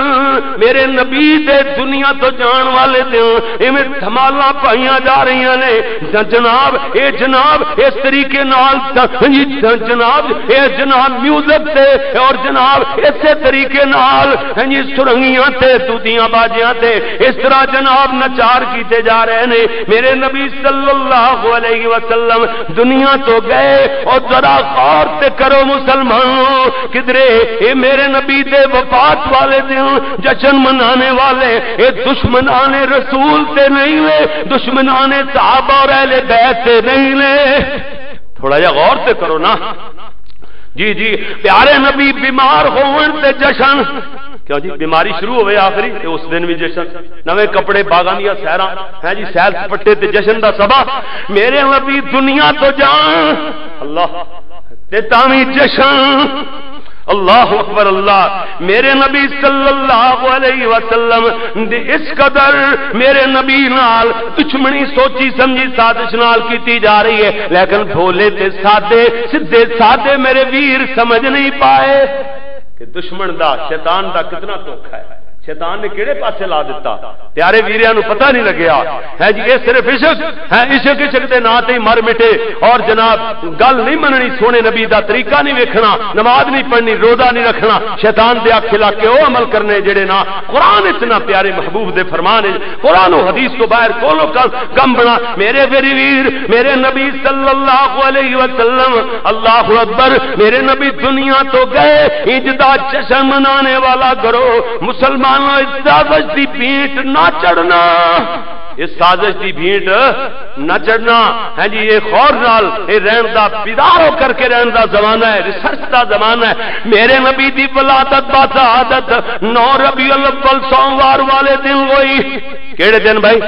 میرے نبی دے دنیا تو جان والے دن ایویں دھمالاں پائیاں جا رہیاں نے۔ ج-، جناب، اے جناب اس طریقے نال ت-، جی، ج-، جناب، اے جناب میوزک تے اور جناب اسے طریقے نال، ہاں جی، سرنگیاں تے، دودیاں باجیاں تے، اس طرح جناب نچار کیتے جا رہے نے۔ میرے نبی صلی اللہ علیہ وسلم دنیا تو گئے، اور ذرا غور تے کرو مسلمانوں، کدرے اے میرے نبی دے وفات والے دن جشن منانے والے، اے دشمنان رسول تے نہیں لے، دشمنان صحابہ اور اہل بیت تے نہیں لے۔ تھوڑا جہا غور تے کرو نا۔ جی، جی، پیارے نبی بیمار ہون تے جشن۔ کیوں جی، بیماری شروع ہوئے آخری تے اس دن بھی جشن، نویں کپڑے، باغاں دیاں سیراں، ہیں جی، سیر سپٹے تے جشن دا سبا۔ میرے نبی دنیا تو جان، اللہ، تے تاں وی جشن۔ اللہ اکبر اللہ۔ میرے نبی صلی اللہ علیہ وسلم دی اس قدر میرے نبی نال دشمنی سوچی سمجھی سازش نال کیتی جا رہی ہے، لیکن بھولے تے سادے، سدھے سادے میرے ویر سمجھ نہیں پائے کہ دشمن دا، شیطان دا کتنا دھوکا ہے۔ شیطان نے کہڑے پاسے لا دتا؟ پیارے ویریاں نو پتہ نہیں لگیا۔ ہے جی، یہ صرف عشق ہے، عشق عشق دے ناں تے ہی مر مٹے۔ اور جناب، گل نہیں مننی، سونے نبی دا طریقہ نہیں ویکھنا، نماز نہیں پڑھنی، روزہ نہیں رکھنا، شیطان دے آکھے لگ کے او عمل کرنے جڑے نا قرآن اچ نہ، پیارے محبوب دے فرمان اچ، قرآن و حدیث تو باہر کولو کم، کم بنا۔ میرے ویری ویر، میرے نبی صلی اللہ علیہ وسلم، اللہ اکبر، میرے نبی دنیا تو گئے، عید دا جشن منانے والا کرو، مسلمانوں، اس سازش دی بھیٹ نہ چڑھنا، اس سازش دی بھیٹ نہ چڑھنا۔ ہے جی، یہ خور نال، یہ رہن دا، بیدار ہو کر کے رہن دا زمانہ ہے، ریسرچ دا زمانہ ہے۔ میرے نبی دی ولادت با سعادت نو ربیع الاول سوموار والے دن ہوئی۔ کیڑے دن بھائی؟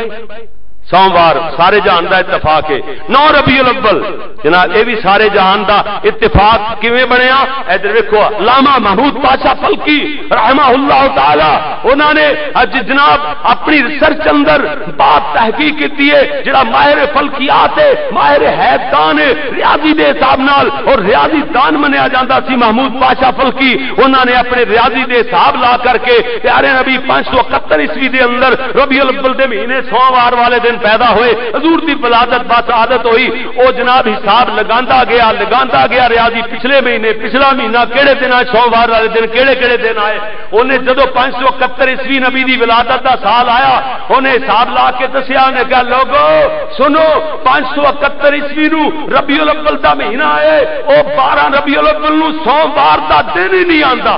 سوموار، سارے جہان دا اتفاق ہے۔ نو ربیع الاول، جناب، اے بھی سارے جہان دا اتفاق کیویں بنیا؟ ادھر ویکھو، علامہ محمود پاشا فلکی رحمہ اللہ تعالی، انہاں نے اج جناب اپنی ریسرچ اندر بات تحقیق کیتی ہے، جڑا ماہر فلکیات ہے، ماہر حیات دان ہے، ریاضی دے حساب نال اور ریاضی دان منیا جاندا سی محمود پاشا فلکی۔ انہاں نے اپنے ریاضی دے حساب لا کر کے پیارے نبی پانچ سو اکہتر عیسوی دے اندر ربیع الاول دے مہینے سوموار والے دن پیدا ہوئے۔ حضور دی ولادت با سعادت ہوئی۔ او جناب حساب لگاندا گیا، لگاندا گیا ریاضی، پچھلے مہینے، پچھلا مہینہ کیڑے دن آئے، سوموار والے دن کیڑے کیڑے دن آئے۔ انہیں جدوں پانچ سو اکہتر عیسوی نبی دی ولادت دا سال آیا، انہیں حساب لا کے دسیا، انہیں کہا، لوگو سنو، پانچ سو اکہتر عیسوی نو ربیع الاول دا مہینہ آئے، او بارہ ربیع الاول نو سوموار دا دن ہی نہیں آندا۔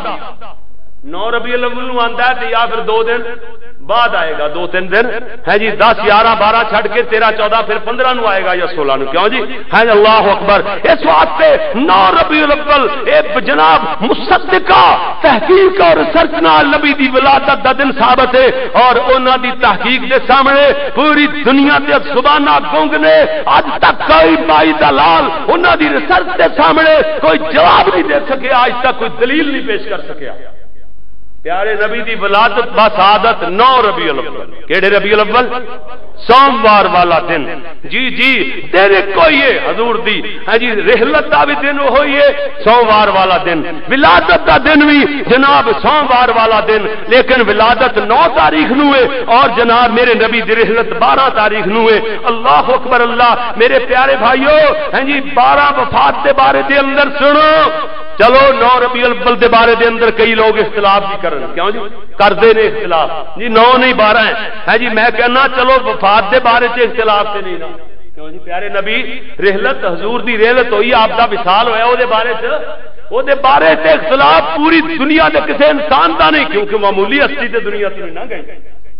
نو ربیع الاول نو آندا ہے تے یا پھر دو دن بعد آئے گا، دو تین دن۔ ہے جی، دس، گیارہ، بارہ چھڈ کے تیرہ، چودہ، پھر پندرہ نو آئے گا یا سولہ نو۔ کیوں جی؟ ہے جی، اللہ اکبر۔ اس واسطے نو ربیع الاول، اے جناب، مصدقہ تحقیق اور ریسرچ نال نبی دی ولادت دا دن ثابت ہے، اور انہاں دی تحقیق دے سامنے پوری دنیا تے زباناں گنگ نے۔ اج تک کوئی مائی دا لال انہاں دی ریسرچ دے سامنے کوئی جواب نہیں دے سکیا، اج تک کوئی دلیل نہیں پیش کر سکیا۔ پیارے نبی دی ولادت با سعادت نو ربیع الاول۔ کیڑے ربیع الاول؟ سوموار والا دن۔ جی، جی، دن ایک ہوئی ہے حضور دی۔ ہاں جی، رحلت دا بھی دن وہ ہوئی ہے، سوموار والا دن۔ ولادت دا دن بھی جناب سوموار والا دن، لیکن ولادت نو تاریخ نو ہے اور جناب میرے نبی دی رحلت بارہ تاریخ نو ہے۔ اللہ اکبر اللہ۔ میرے پیارے بھائیو، ہاں جی، بارہ وفات دے بارے دے اندر سنو۔ چلو، نو ربیع الاول دے بارے دے اندر کئی لوگ اختلاف بھی کرن، کیوں جی؟ کردے نے اختلاف جی، نو نہیں، بارہ ہے۔ ہے جی، میں کہنا، چلو، وفات دے بارے چ اختلاف تے نہیں نا۔ کیوں جی؟ پیارے نبی، رحلت، حضور دی رحلت ہوئی، آپ دا وصال ہویا، او دے بارے چ، او دے بارے چ اختلاف پوری دنیا دے کسے انسان دا نہیں، کیونکہ معمولی ہستی تے دنیا تو نہیں نہ گئی۔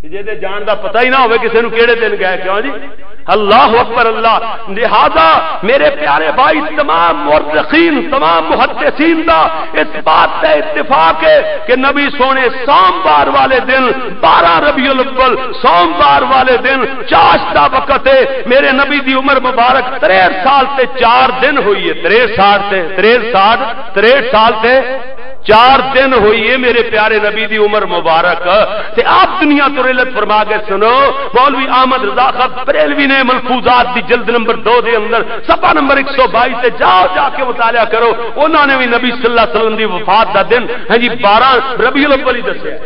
جے دے جان دا پتہ ہی نہ ہوئے کسے نو کیڑے دن گئے۔ کیوں جی؟ اللہ اکبر اللہ۔ لہذا میرے پیارے بھائی، تمام مورخین، تمام محدثین دا اس بات تے اتفاق ہے کہ نبی سونے سوموار والے دن، بارہ ربیع الاول، سوموار والے دن، چاش دا وقت ہے۔ میرے نبی دی عمر مبارک تریہٹھ سال تے چار دن ہوئی ہے، تریہٹھ سال تے، تریہٹھ سال، تریہٹھ سال تے چار دن ہوئی ہے میرے پیارے نبی دی عمر مبارک۔ تے آپ دنیا تو رحلت فرما گئے۔ سنو، مولوی احمد رضا خان بریلوی نے ملفوظات دی جلد نمبر دو دے اندر، صفحہ نمبر ایک سو بائی تے جاؤ، جا کے مطالعہ کرو۔ انہاں نے بھی نبی صلی اللہ علیہ وسلم دی وفات دا دن، ہاں جی، بارہ ربیع الاول ہی دسیا۔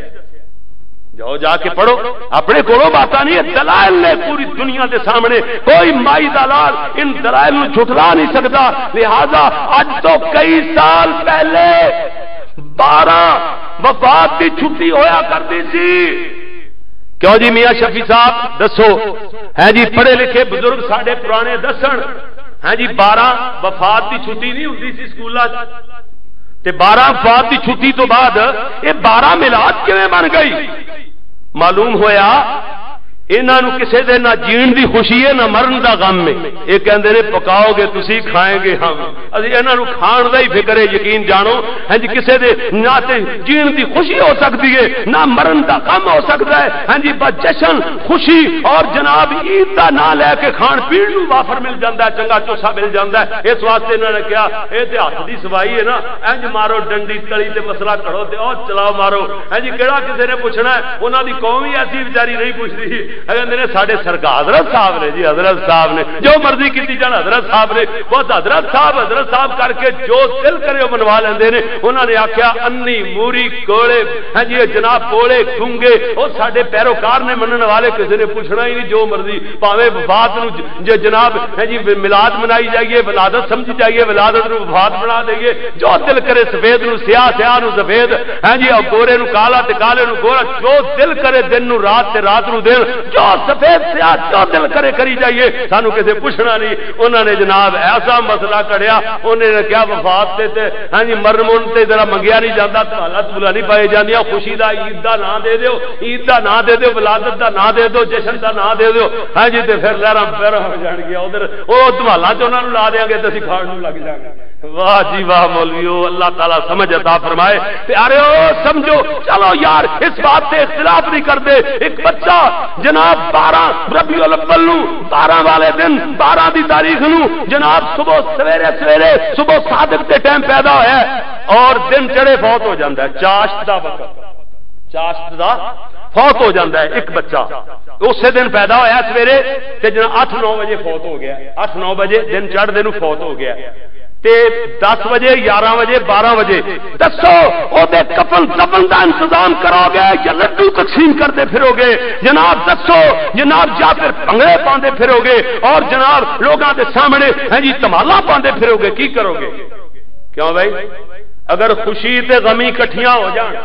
جاؤ، جا کے پڑھو، اپنے کولوں باتاں نہیں، یہ دلائل نے پوری دنیا دے سامنے۔ کوئی مائی دا لال ان دلائل نوں جھٹلا نہیں سکدا۔ لہذا اج تو کئی سال پہلے بارہ وفات دی چھٹی ہویا کردی سی۔ کیوں جی میاں شفیع صاحب، دسو؟ ہے جی، پڑھے لکھے بزرگ ساڈے پرانے دسن، ہے جی، بارہ وفات دی چھٹی نہیں ہوندی سی سکولاں 'چ؟ تے بارہ وفات دی چھٹی تو بعد یہ بارہ میلاد کیویں بن گئی؟ معلوم ہویا، انہاں نوں کسے دے نہ جین دی خوشی ہے، نہ مرن دا غم ہے۔ یہ کہندے نے، "پکاؤ گے تسی، کھائیں گے ہم۔" اسی انہاں نوں کھان دا ہی فکر ہے، یقین جانو۔ ہاں جی، کسے دے نہ تے جین دی خوشی ہو سکدی ہے، نہ مرن دا غم ہو سکدا ہے۔ ہاں جی، بس جشن، خوشی اور جناب عید دا نام لے کے کھان پین نوں وافر مل جاندا ہے، چنگا چوسا مل جاندا ہے۔ اس واسطے انہاں نے کہا، "اے تے ہاتھ دی صفائی ہے نا، انج مارو ڈنڈی تلی تے مسئلہ کھڑو تے او چلاؤ مارو۔" ہاں جی، کہڑا کسے نے پوچھنا ہے؟ انہاں دی قوم ہی ایسی بیچاری نہیں پوچھدی۔ کہندے نے، "ساڈے سرکار حضرت صاحب نے جی، حضرت صاحب نے، جو مرضی کیتی جان حضرت صاحب نے۔" بس حضرت صاحب، حضرت صاحب کر کے جو دل کرے وہ منوا لیندے نے۔ انہاں نے آکھیا، "انی، موری، کوڑے، ہاں جی، جناب، کوڑے، گونگے، او ساڈے پیروکار نے، منن والے، کسے نے پوچھنا ہی نہیں، جو مرضی، پاویں وفات نو ج-، جے جناب، ہاں جی، میلاد منائی جائیے، ولادت سمجھی جائیے، ولادت نو وفات بنا دئیے۔" جو دل کرے سفید نو سیاہ، سیاہ نو سفید، ہاں جی، اور گورے نو کالا تے کالے نو گورا، جو دل کرے دن نو رات تے رات نو دن، جو سفید سیاہ جو دل کرے کری جائیے، سانو کسے پوچھنا نہیں۔ انہاں نے جناب ایسا مسئلہ کڑیا، انہاں نے کہا، "وفات تے، تے، ہاں جی، مرن مرن تے ذرا منگیا نہیں جاندا، تمہالا تمہلا نہیں پائے جاندیاں، خوشی دا عید دا نام دے دیو، عید دا نام دے دیو، ولادت دا نام دے دیو، جشن دا نام دے دیو۔" ہاں جی، تے پھر لہراں پیراں ہو جان گیا ادھر، او تمہالا تے انہاں نو لا دیاں گے تے اسی کھان نو لگ جاواں گے۔ واہ جی واہ مولویو، اللہ تعالیٰ سمجھ عطا فرمائے۔ پیارے او سمجھو، چلو یار، اس بات سے اختلاف نہیں کرتے۔ ایک بچہ جناب بارہ ربیع الاول نو، بارہ والے دن، بارہ دی تاریخ نو جناب صبح سویرے، سویرے صبح صادق دے ٹائم پیدا ہویا ہے اور دن چڑھے فوت ہو جاندا ہے، چاشت دا وقت، چاشت دا فوت ہو جاندا ہے ایک بچہ۔ اسی دن پیدا ہویا سویرے تے جناب اٹھ نو بجے فوت ہو گیا، اٹھ نو بجے دن چڑھدے نو فوت ہو گیا۔ تے دس بجے، گیارہ بجے، بارہ بجے، دسو، او دے کفن دفن دا انتظام کرو گے یا لڈو تقسیم کردے پھرو گے؟ جناب دسو، جناب، یا پھر بھنگڑے پاندے پھرو گے اور جناب لوگاں دے سامنے، ہاں جی، تمالا پاندے پھرو گے، کی کرو گے؟ کیوں بھائی؟ اگر خوشی تے غمی کٹھیاں ہو جان،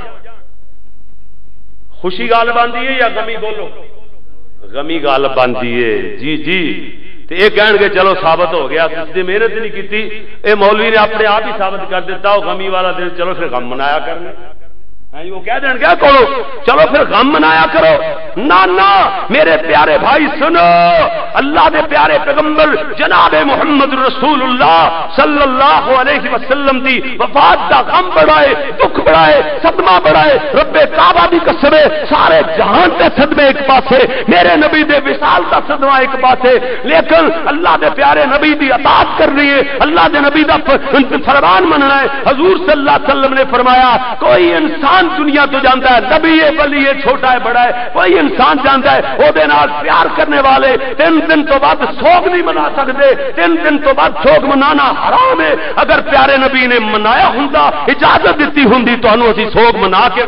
خوشی غالب آندی ہے یا غمی؟ بولو، غمی غالب آندی ہے۔ جی جی۔ تے اے کہن گے، "چلو ثابت ہو گیا، اس دی محنت نہیں کیتی، اے مولوی نے اپنے آپ ہی ثابت کر دیتا، وہ غمی والا دن، چلو پھر غم منایا کرنے۔" ہاں جی، وہ کہہ دین گیا، "چلو، چلو پھر غم منایا کرو۔" نہ، نہ، میرے پیارے بھائی سنو، اللہ دے پیارے پیغمبر جناب محمد رسول اللہ صلی اللہ علیہ وسلم دی وفات دا غم بڑا ہے، دکھ بڑا ہے، صدمہ بڑا ہے۔ رب کعبہ دی قسم ہے، سارے جہان دے صدمے ایک پاسے، میرے نبی دے وصال دا صدمہ ایک پاسے، لیکن اللہ دے پیارے نبی دی اطاعت کرنی ہے، اللہ دے نبی دا ف-، فرمان مننا ہے۔ حضور صلی اللہ علیہ وسلم نے فرمایا، کوئی انسان دنیا تو جاندا ہے، نبی ہے، ولی ہے، چھوٹا ہے، بڑا ہے، کوئی انسان جاندا ہے، او دے نال پیار کرنے والے تین دن تو بعد سوگ نہیں منا سکدے۔ تین دن تو بعد سوگ منانا حرام ہے۔ اگر پیارے نبی نے منایا ہوندا، اجازت دتی ہوندی، تانوں اسی سوگ منا کے،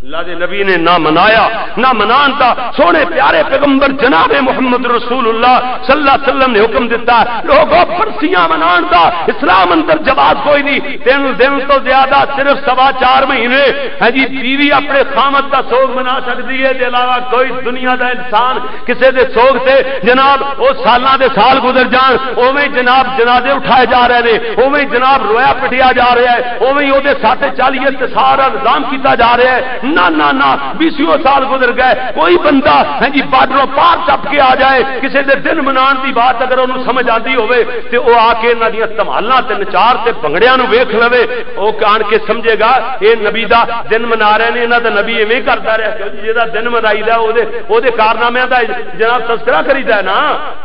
اللہ دے نبی نے نہ منایا، نہ منان دا۔ سونے پیارے پیغمبر جناب محمد رسول اللہ صلی اللہ علیہ وسلم نے حکم دیتا، لوگوں، پرسیاں منان دا اسلام اندر جواز کوئی نہیں۔ تین دن تو زیادہ، صرف سوا چار مہینے، ہاں جی، بیوی اپنے خامد دا سوگ منا سکدی ہے، دے علاوہ کوئی دنیا دا انسان کسے دے سوگ تے، جناب، او سالاں دے سال گزر جان، اوویں جناب جنازے اٹھائے جا رہے نے، اوویں جناب رویا پٹیا جا رہا ہے، اوویں او دے ساتھ چالیے تے سارا نظام کیتا جا رہا ہے۔ نہ، نہ، نہ، بیسیوں سال گزر گئے، کوئی بندہ، ہاں جی، بارڈروں پار ٹپ کے آ جائے، کسے دے دن منان دی بات اگر انہوں سمجھ آندی ہوئے، تے او آ کے انہاں دیاں تمالاں تے نچار تے بھنگڑیاں نوں ویکھ لوے، او آن کے سمجھے گا، اے نبی دا دن منا رہے نے، انہاں دا نبی ایویں کردا رہیا۔ کیوں جی، جیڑا دن منائی دا، او دے، او دے کارنامیاں دا جناب تذکرہ کریدا ہے نا،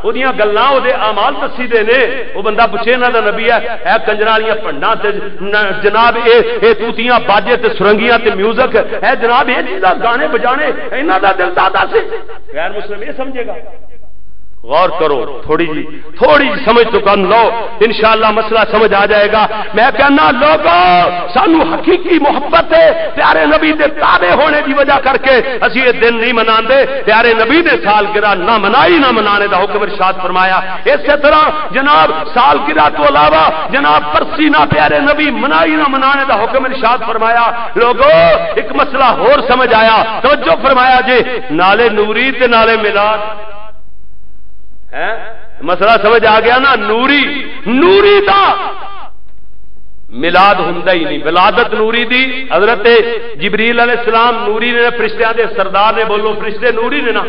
او دیاں گلاں، او دے اعمال دسی دے نے۔ او بندہ پچھے، انہاں دا نبی ہے، اے کنجراں والیاں بھنڈاں تے ن-، جناب، اے، اے توتیاں، باجے تے سرنگیاں تے میوزک، اے جناب، اے چیزاں، گانے بجانے، انہاں دا دل دادا سی۔ غیر مسلم اے سمجھے گا؟ غور کرو، تھوڑی جی، تھوڑی جی سمجھ تو کم لو، انشاءاللہ مسئلہ سمجھ آ جائے گا۔ میں کہنا، لوگو، سانو حقیقی محبت ہے، پیارے نبی دے تابع ہونے دی وجہ کر کے اسی یہ دن نہیں مناندے۔ پیارے نبی نے سالگرہ نہ منائی، نہ منانے دا حکم ارشاد فرمایا۔ اسی طرح جناب، سالگرہ تو علاوہ جناب، پرسی نہ پیارے نبی منائی، نہ منانے دا حکم ارشاد فرمایا۔ لوگو، ایک مسئلہ ہور سمجھ آیا، توجہ فرمایا جے، نالے نوری تے نالے میلاد۔ ہیں؟ مسئلہ سمجھ آ گیا نا؟ نوری، نوری دا میلاد ہوندا ہی نہیں۔ ولادت نوری دی، حضرت جبریل علیہ السلام نوری نے، فرشتیاں دے سردار نے، بولو، فرشتے نوری نے نا،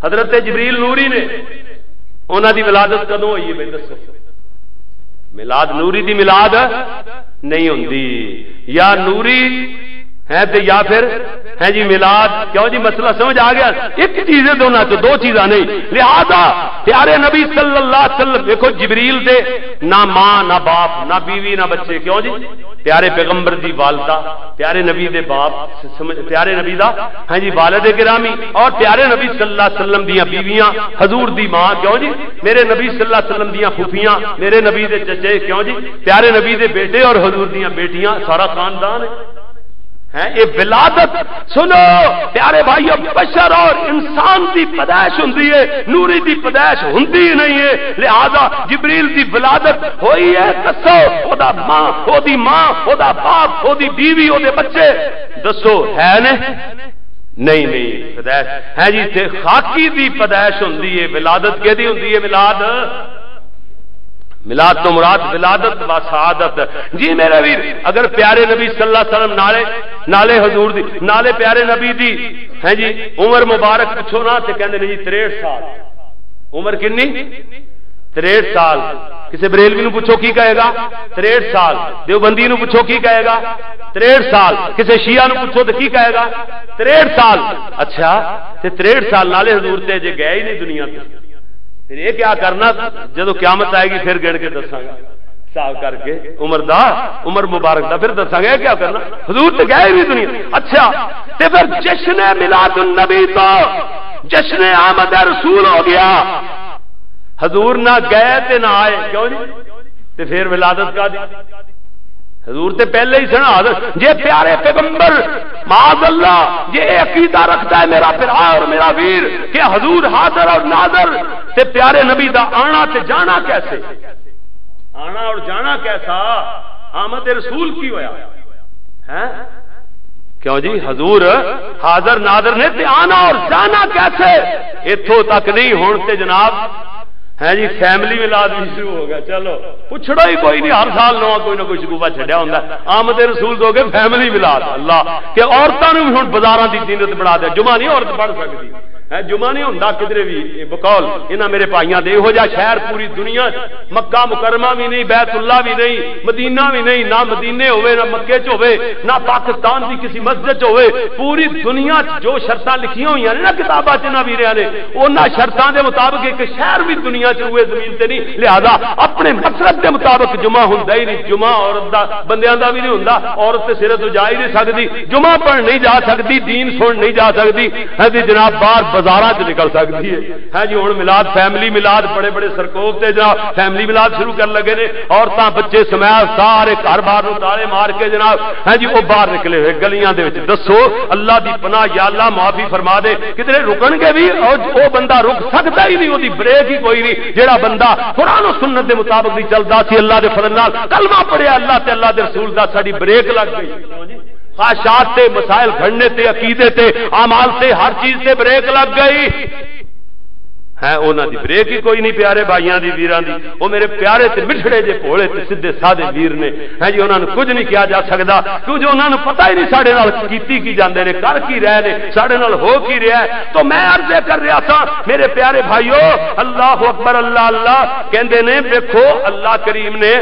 حضرت جبریل نوری نے۔ انہاں دی ولادت کدوں ہوئی ہے بھائی، دسو؟ میلاد نوری دی میلاد نہیں ہوندی۔ یا نوری ہے تے یا پھر، ہے جی، میلاد۔ کیوں جی؟ مسئلہ سمجھ آ گیا؟ ایک چیز ہے دونوں چ، دو چیزاں نہیں۔ لہذا پیارے نبی صلی اللہ علیہ وسلم، دیکھو، جبریل دے نہ ماں، نہ باپ، نہ بیوی، نہ بچے۔ کیوں جی؟ پیارے پیغمبر دی والدہ، پیارے نبی دے باپ، سمجھ، پیارے نبی دا، ہاں جی، والد گرامی، اور پیارے نبی صلی اللہ علیہ وسلم دیاں بیویاں، حضور دی ماں۔ کیوں جی؟ میرے نبی صلی اللہ علیہ وسلم دیاں پھوپھیاں، میرے نبی دے چچے۔ کیوں جی؟ پیارے نبی دے بیٹے اور حضور دیاں بیٹیاں، سارا خاندان ہے۔ ہیں، یہ ولادت، سنو پیارے بھائیو، بشر اور انسان دی پیدائش ہوندی ہے، نوری دی پیدائش ہوندی ہی نہیں ہے۔ لہذا جبریل دی ولادت ہوئی ہے، دسو، او دا ماں، او دی ماں، او دا باپ، او دی بیوی، او دے بچے، دسو، ہے نے؟ نہیں، نہیں، پیدائش ہے جی، تے خاکی دی پیدائش ہوندی ہے۔ ولادت کیدی ہوندی ہے؟ ولاد، میلاد تو مراد ولادت و سعادت۔ جی میرے ویر، اگر پیارے نبی صلی اللہ علیہ وسلم نالے، نالے حضور دی، نالے پیارے نبی دی، ہیں جی، عمر مبارک پوچھو نا تے کہندے نے جی تریہٹھ سال۔ عمر کنی؟ تریہٹھ سال۔ کسے بریلوی نو پوچھو کی کہے گا؟ تریہٹھ سال۔ دیوبندی نو پوچھو کی کہے گا؟ تریہٹھ سال۔ کسے شیعہ نو پوچھو تے کی کہے گا؟ تریہٹھ سال۔ اچھا، تے تریہٹھ سال نالے حضور تے جے گئے ہی نہیں دنیا تے۔ پھر یہ کیا کرنا؟ جدوں قیامت آئے گی، پھر گن کے دساں گا، حساب کر کے عمر دا، عمر مبارک دا، پھر دساں گا یہ کیا کرنا۔ حضور تے گئے بھی دنیا۔ اچھا، تے پھر جشن میلاد النبی تو جشن آمد رسول ہو گیا۔ حضور نہ گئے تے نہ آئے، کیوں جی؟ تے پھر ولادت کا دی؟ حضور تے پہلے ہی سن حاضر۔ جے پیارے پیغمبر، معاذ اللہ، جے اے عقیدہ رکھدا ہے میرا بھرا اور میرا ویر کہ حضور حاضر اور ناظر، تے پیارے نبی دا آنا تے جانا کیسے؟ آنا اور جانا کیسا؟ آمد رسول کی ہویا؟ ہیں؟ کیوں جی؟ حضور حاضر ناظر نے، تے آنا اور جانا کیسے؟ اتھوں تک نہیں، ہن تے جناب، ہے جی، فیملی میلاد بھی شروع ہو گیا۔ چلو، پچھڑو ہی کوئی نہیں، ہر سال نواں کوئی نہ کوئی شکوفہ چھڈیا ہوندا ہے۔ آمد رسول تو ہو گئے فیملی میلاد۔ اللہ، کہ عورتاں نوں بھی ہن بازاراں دی زینت بنا دے، جمعہ نہیں عورت پڑھ سکدی۔ ہے، جمعہ نہیں ہوندا کدرے بھی۔ یہ بقول انہاں میرے بھائیاں دے، یہو جہا شہر پوری دنیا چ، مکہ مکرمہ بھی نہیں، بیت اللہ بھی نہیں، مدینہ بھی نہیں، نہ مدینے ہوئے، نہ مکے چ ہوئے، نہ پاکستان دی کسی مسجد چ ہوئے۔ پوری دنیا چ جو شرطاں لکھیاں ہوئیاں نے نا کتاباں چ، انہاں ویریاں نے، انہاں شرطاں دے مطابق ایک شہر بھی دنیا چ روئے زمین تے نہیں۔ لہذا اپنے مسلک دے مطابق جمعہ ہوندا ہی نہیں۔ جمعہ عورت دا، بندیاں دا بھی نہیں ہوندا۔ عورت تے سرے تو جا ہی نہیں سکدی، جمعہ پڑھ نہیں جا سکدی، دین سن نہیں جا سکدی۔ ہاں جی جناب، باہر بازاراں چ نکل سکدی ہے۔ ہاں جی، ہن میلاد، فیملی میلاد، بڑے بڑے سرکوپ تے جناب فیملی میلاد شروع کر لگے نے۔ عورتاں، بچے سمیت سارے گھر باہر نوں تالے مار کے جناب، ہاں جی، وہ باہر نکلے ہوئے گلیاں دے وچ۔ دسو، اللہ دی پناہ، یا اللہ معافی فرما دے، کدھرے رکن گے بھی؟ او، او بندہ رک سکدا ہی نہیں، او دی بریک ہی کوئی نہیں۔ جیڑا بندہ قرآن و سنت دے مطابق نہیں چلدا سی، اللہ دے فضل نال کلمہ پڑھیا اللہ تے اللہ دے رسول دا، ساڈی بریک لگ گئی۔ خواہشات تے، مسائل گھڑنے تے، عقیدے تے، اعمال تے، ہر چیز تے بریک لگ گئی۔ ہے، انہاں دی بریک ہی کوئی نہیں، پیارے بھائیاں دی، ویراں دی۔ او میرے پیارے تے مٹھڑے جے، بھولے تے سیدھے سادے ویر نے۔ ہے جی، انہاں نوں کچھ نہیں کہا جا سکدا، کیوں جو انہاں نوں پتہ ہی نہیں ساڈے نال کیتی کی جاندے نے، کر کی رہے نے، ساڈے نال ہو کی رہا ہے۔ تو میں عرض یہ کر رہا تھا، میرے پیارے بھائیو، اللہ اکبر، اللہ اللہ کہندے نے۔ ویکھو، اللہ کریم نے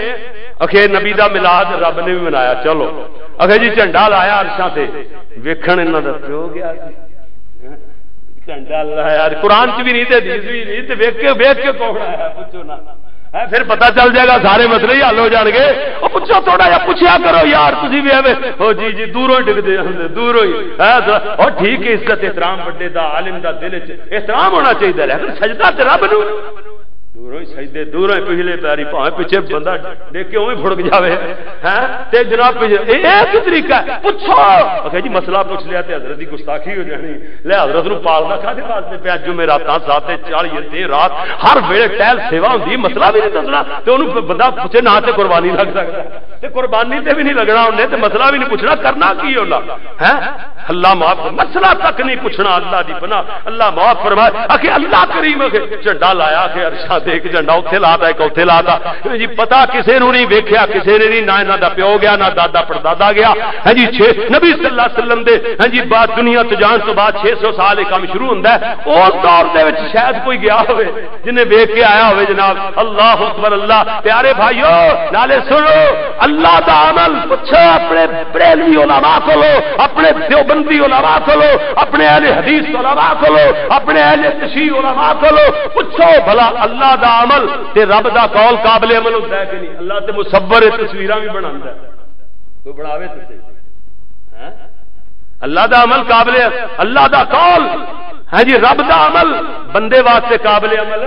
اکھے نبی دا میلاد رب نے بھی منایا۔ چلو، اکھے جی جھنڈا لایا عرشاں تے، ویکھن انہاں دا پیو گیا سی۔ جھنڈا لایا، قرآن چ بھی نہیں تے حدیث بھی نہیں، تے ویکھ کے، ویکھ کے کون آیا؟ پوچھو نا۔ ہے، پھر پتہ چل جائے گا، سارے مسئلے ہی حل ہو جان گے۔ او پوچھو، تھوڑا جہا پوچھیا کرو یار، تسی بھی ایویں، او جی، جی، دوروں ہی ڈگدے ہن، دوروں ہی۔ ہے، او ٹھیک ہے، عزت احترام بڑے دا، عالم دا دل وچ احترام ہونا چاہیے، لیکن سجدہ تے رب نوں۔ دوروں ہی سجدے، دوروں ہی پچھلے پیری، بھاویں پچھے بندہ دیکھ کے اوویں پھڑک جاوے۔ ہیں؟ تے جناب پچھے، اے، اے کی طریقہ ہے؟ پوچھو۔ آکھیا جی مسئلہ پوچھ لیا تے حضرت دی گستاخی ہو جانی۔ لے حضرت نوں پالدا کھادے واسطے پیا؟ جمعراتاں، ساتے چالیس دن رات، ہر ویلے ٹہل سیوا ہوندی، مسئلہ بھی نہیں دسنا۔ تے اونوں بندہ پوچھے نہ تے قربانی لگ سکدا۔ تے قربانی تے بھی نہیں لگنا انہیں، تے مسئلہ بھی نہیں پوچھنا، کرنا کی ہونا؟ ہیں؟ اللہ معاف، مسئلہ تک نہیں پوچھنا، اللہ دی پناہ، اللہ معاف فرمائے۔ آکھے اللہ کریم، آکھے جھنڈا لایا، آکھے عرشاں ایک جھنڈا اتھے لاتا، ایک اتھے لاتا۔ جی، پتہ کسے نوں نہیں ویکھیا، کسے نے نہیں، نہ انہاں دا پیو گیا، نہ دادا پردادا گیا۔ ہاں جی، چھ نبی صلی اللہ علیہ وسلم دے، ہاں جی، بعد دنیا تو جان تو بعد چھ سو سال یہ کام شروع ہوندا ہے۔ اس دور دے وچ شاید کوئی گیا ہوئے، جنہیں ویکھ کے آیا ہوئے جناب۔ اللہ اکبر، اللہ۔ پیارے بھائیو، نالے سنو، اللہ دا عمل پچھو اپنے بریلوی علماء کولو، اپنے دیوبندی علماء کولو، اپنے اہل حدیث علماء کولو، اپنے اہل تشیع علماء کولو پچھو بھلا، اللہ دا عمل تے رب دا قول قابل عمل ہوندا ہے کہ نہیں؟ اللہ تے مصور ہے، تصویراں بھی بناندا ہے۔ کوئی بناوے تے صحیح۔ ہیں؟ اللہ دا عمل قابل، اللہ دا قول، ہاں جی، رب دا عمل بندے واسطے قابل عمل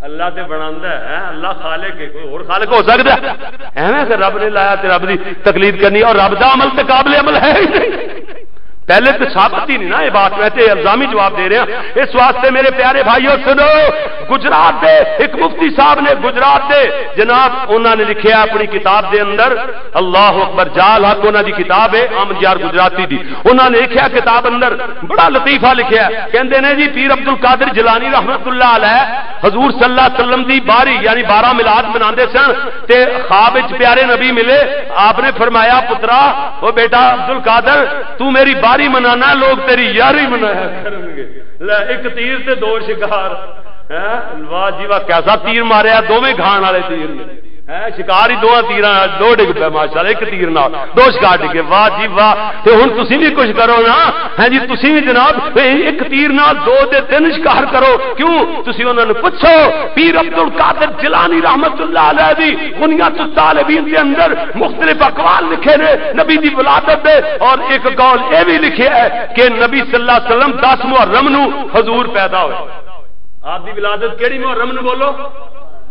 اللہ تے بناندا ہے۔ اللہ خالق ہے، کوئی اور خالق ہو سکدا ہے؟ ایویں کہ رب نے لایا تے رب دی تقلید کرنی، اور رب دا عمل تے قابل عمل ہے ہی نہیں۔ پہلے تے ثابت ہی نہیں نا یہ بات، میں تے الزامی جواب دے رہا۔ اس واسطے میرے پیارے بھائیو سنو، گجرات دے ایک مفتی صاحب نے، گجرات دے جناب، انہاں نے لکھیا اپنی کتاب دے اندر، اللہ اکبر، جال حق انہاں دی کتاب ہے، احمد یار گجراتی دی۔ انہاں نے لکھیا کتاب اندر، بڑا لطیفہ لکھیا ہے۔ کہندے نے جی، پیر عبد القادر جیلانی رحمت اللہ علیہ حضور صلی اللہ علیہ وسلم دی باری، یعنی بارہ میلاد مناندے سن، تے خواب وچ پیارے نبی ملے، آپ نے فرمایا، "پترا، او بیٹا عبد القادر، تو میری باری منانا، لوگ تیری یاری منایا کرن گے۔" لے، ایک تیر تے دو شکار۔ ہیں؟ واہ جی واہ، کیسا تیر ماریا، دوویں کھان والے تیر نے۔ ہیں؟ شکار ہی دوواں تیراں نال، دو ڈگ پے ماشاءاللہ، ایک تیر نال دو شکار ڈگے۔ واہ جی واہ۔ تے ہن تسی بھی کچھ کرو نا، ہیں جی، تسی بھی جناب ایک تیر نال دو تے تین شکار کرو۔ کیوں؟ تسی انہاں نوں پچھو، پیر عبد القادر جیلانی رحمت اللہ علیہ دی بنیاد الطالبین دے اندر مختلف اقوال لکھے نے نبی دی ولادت دے، اور ایک قول اے بھی لکھیا ہے کہ نبی صلی اللہ علیہ وسلم دس محرم نو حضور پیدا ہوئے۔ آپ دی ولادت کیڑی محرم نو بولو؟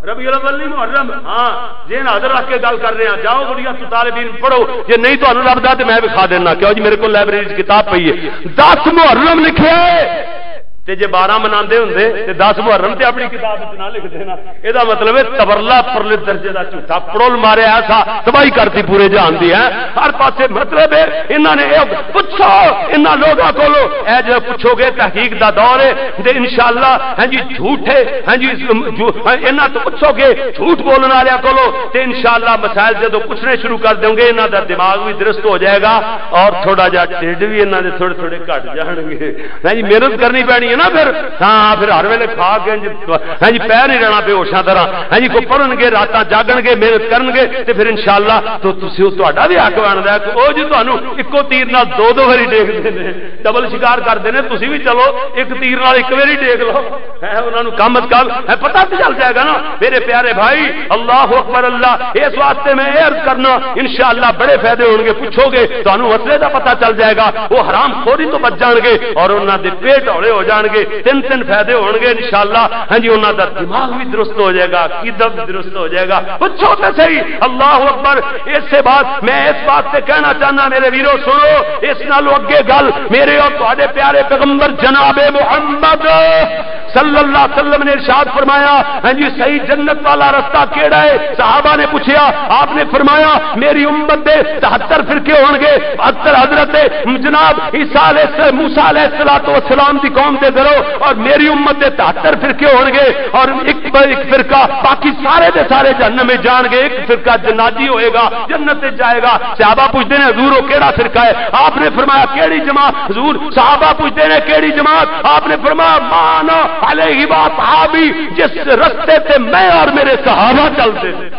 ربیع الاول نہیں، محرم۔ ہاں، ذہن حاضر رکھ کے گل کر رہے ہیں۔ جاؤ بڑی تو طالبین پڑھو، جے نہیں تانوں لبدا تے میں وکھا دینا۔ کیوں جی، میرے کول لائبریری وچ کتاب پئی ہے، دس محرم لکھیا ہے۔ تے جے بارہ مناندے ہوندے تے دس محرم تے اپنی کتاب وچ نہ لکھ دینا۔ اے دا مطلب ہے تبرلا پرلے درجے دا جھوٹا پڑول ماریا ایسا، تباہی کرتی پورے جہان دی ہے ہر پاسے۔ مطلب ہے انہاں نے اے پچھو، انہاں لوگاں کولو اے جو پچھو گے، تحقیق دا دور ہے تے انشاءاللہ، ہاں جی، جھوٹ ہے، ہاں جی، جو، انہاں تو پچھو گے جھوٹ بولن والے کولو تے انشاءاللہ مسائل جدوں پوچھنے شروع کر دوں گے، انہاں دا دماغ بھی درست ہو جائے گا اور تھوڑا جہا ٹھڈ بھی انہاں دے تھوڑے تھوڑے گھٹ جان گے۔ ہاں جی، محنت کرنی پینی ہے نا پھر۔ ہاں، پھر ہر ویلے کھا کے انج، ہاں جی، پیر نہیں رہنا بے ہوشاں طرح۔ ہاں جی، کوئی پڑھن گے، راتاں جاگن گے، محنت کرن گے، تے پھر انشاءاللہ تو تسی، تہاڈا بھی حق بندا ہے کہ او جی تانوں اکو تیر نال دو دو واری ڈیکھدے نے، ڈبل شکار کردے نے، تسی بھی چلو ایک تیر نال ایک واری ڈیکھ لو۔ ہے، انہاں نوں کم از کم ہے پتہ تو چل جائے گا نا۔ میرے پیارے بھائی، اللہ اکبر اللہ، اس واسطے میں عرض کرنا، انشاءاللہ بڑے فائدے ہون گے۔ پوچھو گے، تانوں مسئلے دا پتہ چل جائے گا، وہ حرام خوری تو بچ جان گے اور انہاں دے پیٹ ہولے ہو جان گے۔ تین تین فائدے ہون گے انشاءاللہ۔ ہاں جی، انہاں دا دماغ بھی درست ہو جائے گا، عقیدہ بھی درست ہو جائے گا۔ پوچھو تے صحیح، اللہ اکبر۔ اس سے بعد میں اس بات سے کہنا چاہنا، میرے ویرو سنو، اس نالوں اگے گل، میرے اور تہاڈے پیارے پیغمبر جناب محمد صلی اللہ علیہ وسلم نے ارشاد فرمایا، ہاں جی، صحیح جنت والا رستہ کیڑا ہے؟ صحابہ نے پوچھا، آپ نے فرمایا، میری امت دے تہتر فرقے ہون گے۔ حضرت، حضرت جناب عیسیٰ علیہ الس-، موسیٰ علیہ الصلوۃ والسلام دی قوم دے درو، اور میری امت دے تہتر فرقے ہون گے، اور ایک ب-، ایک فرقہ، باقی سارے دے سارے جہنم میں جان گے، ایک فرقہ جنادی ہوئے گا، جنت وچ جائے گا۔ صحابہ پوچھتے ہیں، حضور، وہ کیڑا فرقہ ہے؟ آپ نے فرمایا، کیڑی جماعت؟ حضور، صحابہ پوچھتے ہیں، کیڑی جماعت؟ آپ نے فرمایا، ما انا علیہ و اصحابی، جس رستے تے میں اور میرے صحابہ چلتے ہیں۔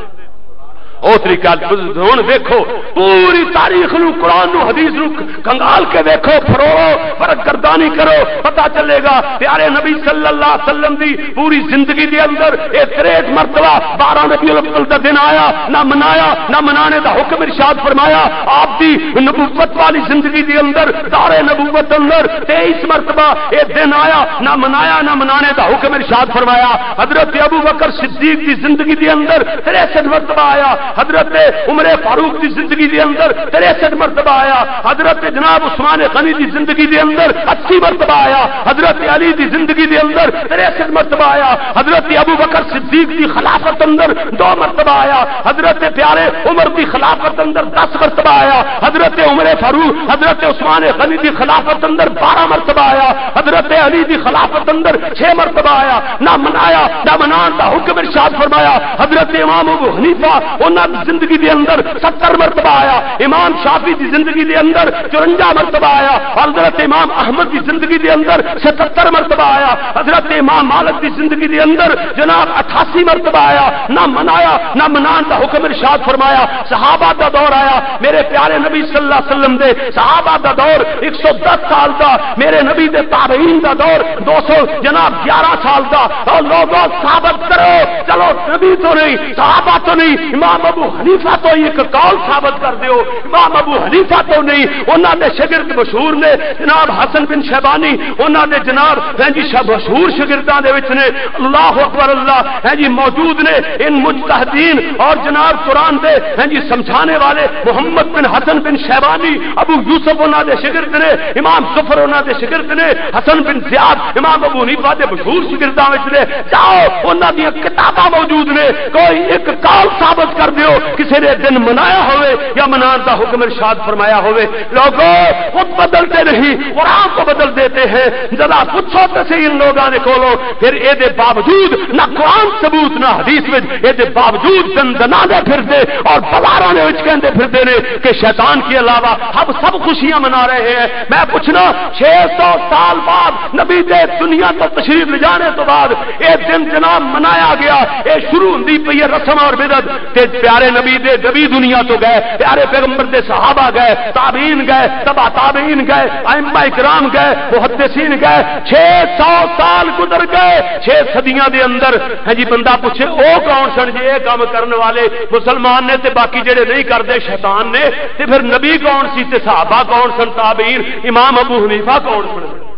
او طریقہ ہن ویکھو، پوری تاریخ نو، قرآن نو، حدیث نو کنگال کے ویکھو، پھروڑو، فرق گردانی کرو، پتہ چلے گا۔ پیارے نبی صلی اللہ علیہ وسلم دی پوری زندگی دے اندر اے تریہٹھ مرتبہ بارہ ربیع الاول دا دن آیا، نہ منایا، نہ منانے دا حکم ارشاد فرمایا۔ آپ دی نبوت والی زندگی دے اندر، دار نبوت اندر تئیس مرتبہ اے دن آیا، نہ منایا، نہ منانے دا حکم ارشاد فرمایا۔ حضرت ابو بکر صدیق دی زندگی دے اندر تریسٹھ مرتبہ آیا، حضرت عمر فاروق دی زندگی دے اندر تریسٹھ مرتبہ آیا، حضرت جناب عثمان غنی دی زندگی دے اندر اسی مرتبہ آیا، حضرت علی دی زندگی دے اندر تریسٹھ مرتبہ آیا، حضرت ابو بکر صدیق دی خلافت اندر دو مرتبہ آیا، حضرت پیارے عمر دی خلافت اندر دس مرتبہ آیا، حضرت حضرت عمر فاروق، حضرت عثمان غنی دی خلافت اندر بارہ مرتبہ آیا، حضرت علی دی خلافت اندر چھ مرتبہ آیا، نہ منایا، نہ منان دا حکم ارشاد فرمایا۔ حضرت امام ابو حنیفہ، انہاں دی زندگی دے اندر ستر مرتبہ آیا، امام شافعی دی زندگی دے اندر چورنجا مرتبہ آیا، حضرت امام احمد دی زندگی دے اندر ستر مرتبہ آیا، حضرت امام مالک دی زندگی دے اندر جناب اٹھاسی مرتبہ آیا، نہ منایا، نہ منان دا حکم ارشاد فرمایا۔ صحابہ دا دور آیا، میرے پیارے نبی صلی اللہ علیہ وسلم دے صحابہ دا دور ایک سو دس سال دا، میرے نبی دے تابعین دا دور دو سو جناب گیارہ سال دا۔ او لوگو، ثابت کرو، چلو نبی تو نہیں، صحابہ تو نہیں، امام ابو حنیفہ تو ہی ایک قول ثابت کر دیو۔ امام ابو حنیفہ تو نہیں، انہاں دے شاگرد مشہور نے جناب حسن بن شیبانی، انہاں دے جناب ہیں جی شب-، مشہور شاگرداں دے وچ نے۔ اللہ اکبر، اللہ ہیں جی موجود نے۔ ان مجتہدین اور جناب قرآن دے ہیں جی سمجھانے والے محمد بن حسن بن شیبانی، ابو یوسف انہاں دے شاگرد نے، امام ظفر انہاں دے شاگرد نے، حسن بن زیاد امام ابو حنیفہ دے مشہور شاگرداں وچ نے۔ جاؤ، انہاں دیاں کتاباں موجود نے، کوئی ایک قول ثابت کر دیو، کسی نے دن منایا ہوئے یا منان دا حکم ارشاد فرمایا ہوئے۔ لوگو، خود بدلتے نہیں، قرآن کو بدل دیتے ہیں۔ ذرا پوچھو تے صحیح ان لوگاں دے کولوں، پھر اے دے باوجود نہ قرآن ثبوت نہ حدیث وچ، اے دے باوجود دندنا دے پھردے اور بازاراں دے وچ کہندے پھردے نے کہ شیطان کے علاوہ ہم سب خوشیاں منا رہے ہیں۔ میں پوچھنا، چھ سو سال بعد نبی دے دنیا تو تشریف لے جانے تو بعد اے دن جناب منایا گیا، اے شروع ہوندی پئی ہے رسم اور بدعت۔ تے پیارے نبی دے نبی دنیا تو گئے، پیارے پیغمبر دے صحابہ گئے، تابعین گئے، تبع تابعین گئے، ائمہ کرام گئے، محدثین گئے۔ چھ سو سال گزر گئے، چھ صدیاں دے اندر۔ ہاں جی، بندہ پوچھے، او کون سن جی اے کام کرن والے؟ مسلمان نے تے باقی جڑے نہیں کردے شیطان نے، تے پھر نبی کون سی تے صحابہ کون سن، تابعین، امام ابو حنیفہ کون سن؟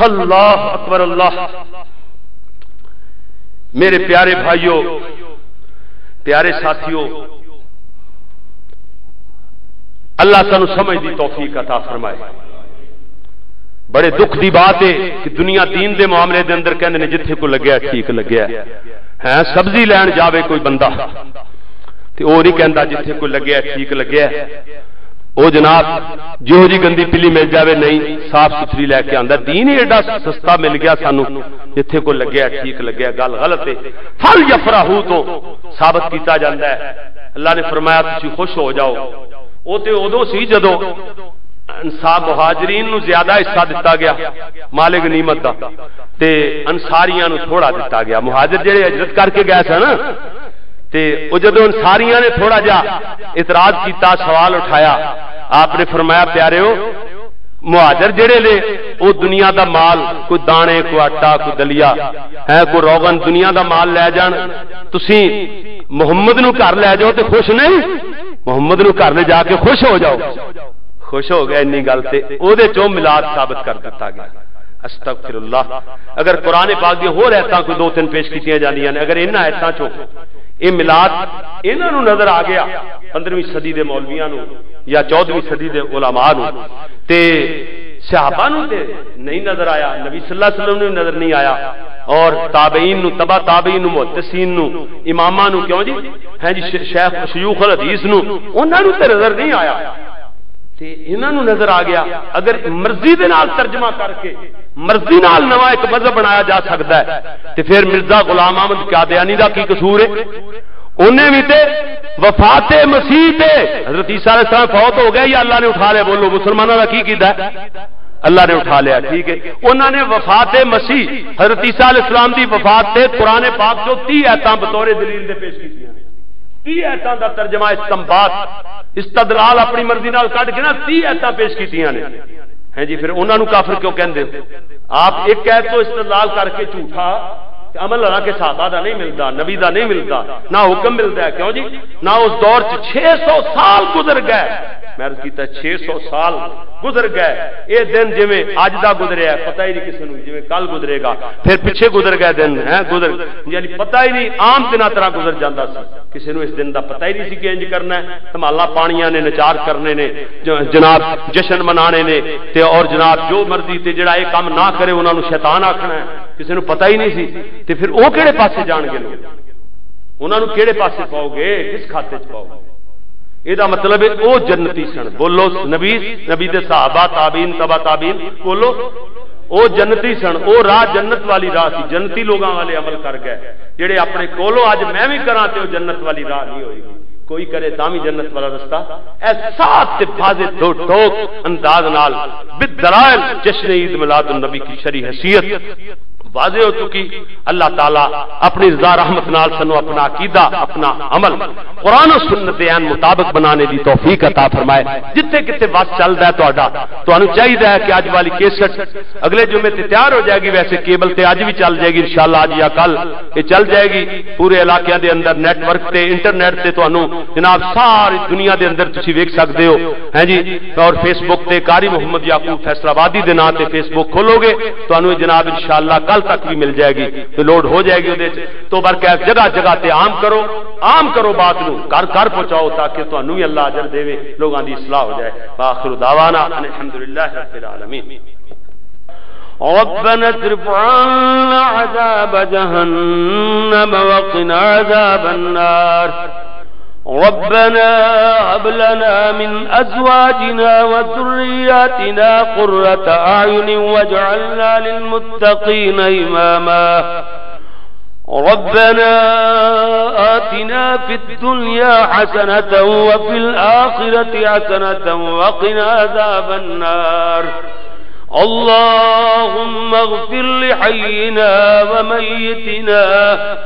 اللہ اکبر، اللہ۔ میرے پیارے بھائیو، پیارے ساتھیو، اللہ سانو سمجھ دی توفیق عطا فرمائے۔ بڑے دکھ دی بات ہے کہ دنیا دین دے معاملے دے اندر کہندے نے جتھے کو لگیا ٹھیک لگیا ہے، سبزی لین جاوے کوئی بندہ تے او نہیں کہندا جتھے کوئی لگیا ٹھیک لگیا۔ او جناب، جہو جی گندی پلی مل جاوے، نہیں، صاف ستھری لے کے آندا۔ دین ہی ایڈا سستا مل گیا سانو، جتھے کوئی لگیا ٹھیک لگیا، گل غلط ہے۔ فل یفرحو تو ثابت کیتا جاندا ہے۔ اللہ نے فرمایا، "تسی خوش ہو جاؤ۔" او تے اودوں سی جدوں انصار مہاجرین نو زیادہ حصہ دتا گیا مال غنیمت دا، تے انصاریاں نو تھوڑا دتا گیا۔ مہاجر جڑے ہجرت کر کے گئے سن، تے او جدوں انصاریاں نے تھوڑا جا اعتراض کیتا، سوال اٹھایا، آپ نے فرمایا، "پیاریو، مہاجر جڑے نے، او دنیا دا مال، کوئی دانے، کوئی آٹا، کوئی دلیا، ہے کوئی روغن، دنیا دا مال لے جان، تسی محمد نو گھر لے جاؤ تے خوش نہیں؟ محمد نو گھر لے جا کے خوش ہو جاؤ۔" خوش ہو گئے انی گل تے، او دے چوں میلاد ثابت کر دتا گیا۔ استغفر اللہ۔ اگر قرآن پاک دی ہور آیتاں کوئی دو تین پیش کیتیاں جاندیاں نے، اگر انہاں آیتاں چوں اے میلاد انہاں نوں نظر آ گیا، پندرہویں صدی دے مولویاں نوں یا چودہویں صدی دے علماء نوں، تے صحابہ نوں تے نہیں نظر آیا، نبی صلی اللہ علیہ وسلم نوں نظر نہیں آیا، اور تابعین نوں، تبع تابعین نوں، محدثین نوں، اماماں نوں، کیوں جی؟ ہیں جی، ش-، شیخ شیوخ الحدیث نوں، انہاں نوں تے نظر نہیں آیا۔ تے انہاں نوں نظر آ گیا، اگر مرضی دے نال ترجمہ کر کے مرضی نال نواں ایک مذہب بنایا جا سکدا ہے، تے پھر مرزا غلام احمد قادیانی دا کی قصور ہے؟ انہیں بھی تے وفات مسیح تے حضرت عیسیٰ علیہ السلام فوت ہو گئے یا اللہ نے اٹھا لیا؟ بولو، مسلمانوں دا کی کیتا ہے؟ اللہ نے اٹھا لیا، ٹھیک ہے۔ انہاں نے وفات مسیح، حضرت عیسیٰ علیہ السلام دی وفات تے قرآن پاک چوں تیس آیتاں بطور دلیل دے پیش کیتیاں۔ تیس آیتاں دا ترجمہ، استنباط، استدلال اپنی مرضی نال کڈ کے نا تیس آیتاں پیش کیتیاں نے۔ ہیں جی، پھر انہاں نوں کافر کیوں کہندے ہو؟ آپ ایک آیت تو استدلال کر کے جھوٹا تے عمل حالانکہ صحابہ دا نہیں ملدا، نبی دا نہیں ملدا، نہ حکم ملدا ہے۔ کیوں جی؟ نہ اس دور چ، چھ سو سال گزر گئے۔ میں عرض کیتا، چھ سو سال گزر گئے۔ اے دن جویں اج دا گزریا ہے، پتہ ہی نہیں کسے نوں، جویں کل گزرے گا، پھر پچھے گزر گئے دن، ہیں، گزر، یعنی پتہ ہی نہیں، عام دناں طرح گزر جاندا سی۔ کسے نوں اس دن دا پتہ ہی نہیں سی کہ انج کرنا ہے، دھمالا پانیاں نے، نچار کرنے نے، ج-، جناب، جشن منانے نے، تے اور جناب جو مرضی، تے جڑا اے کم نہ کرے، انہاں نوں شیطان آکھنا ہے۔ کسے نوں پتہ ہی نہیں سی، تے پھر او کہڑے پاسے جان گے لوگ؟ انہاں نوں کیڑے پاسے پاؤ گے؟ کس کھاتے چ پاؤ گے؟ یہ دا مطلب ہے، او جنتی سن۔ بولو، نبی، نبی دے صحابہ، تابعین، تبع تابعین، بولو، او جنتی سن۔ او راہ جنت والی راہ سی، جنتی لوگاں والے عمل کر گئے۔ جڑے اپنے کولوں اج میں بھی کراں تے او جنت والی راہ نہیں ہوئی گی۔ کوئی کرے تاں بھی جنت والا رستہ۔ اے صاف تے واضح دو ٹوک انداز نال بالدلائل جشن عید میلاد النبی کی شرعی حیثیت واضح ہو چکی۔ اللہ تعالیٰ اپنی رضا رحمت نال سانو اپنا عقیدہ، اپنا عمل قرآن و سنت دے عین مطابق بنانے دی توفیق عطا فرمائے۔ جتھے کتے وس چلدا ہے تہاڈا، تانوں چاہیدا ہے کہ اج والی کیسٹ اگلے جمعے تے تیار ہو جائے گی۔ ویسے کیبل تے اج بھی چل جائے گی، انشاءاللہ اج یا کل یہ چل جائے گی۔ پورے علاقیاں دے اندر نیٹ ورک تے، انٹرنیٹ تے تانوں جناب ساری دنیا دے اندر تسی ویکھ سکدے ہو، ہیں جی۔ اور فیس بک تے قاری محمد یعقوب فیصل آبادی دے نام تے فیس بک کھولو گے، تانوں یہ جناب انشاءاللہ کل تک بھی مل جائے گی، تے لوڈ ہو جائے گی۔ اودے وچ تو برکیف جگہ جگہ تے عام کرو، عام کرو بات نو، گھر گھر پہنچاؤ، تاکہ تانوں بھی اللہ اجر دے، لوگاں دی اصلاح ہو جائے۔ وآخر دعوانا ان الحمدللہ رب العالمین۔ ربنا اصرف عنا عذاب جهنم وقنا عذاب النار۔ ربنا هب لنا من أزواجنا وذرياتنا قرة أعين واجعلنا للمتقين إماما۔ ربنا آتنا في الدنيا حسنة وفي الآخرة حسنة وقنا عذاب النار۔ اللهم اغفر لحينا وميتنا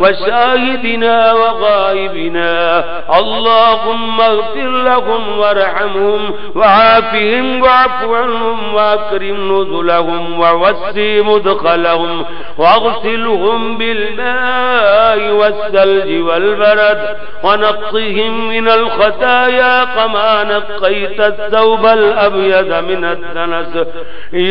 وشاهدنا وغائبنا۔ اللهم اغفر لهم وارحمهم وعافهم واعف عنهم وأكرم نزلهم ووسع مدخلهم واغسلهم بالماء والثلج والبرد ونقهم من الخطايا كما نقيت الثوب الأبيض من الدنس۔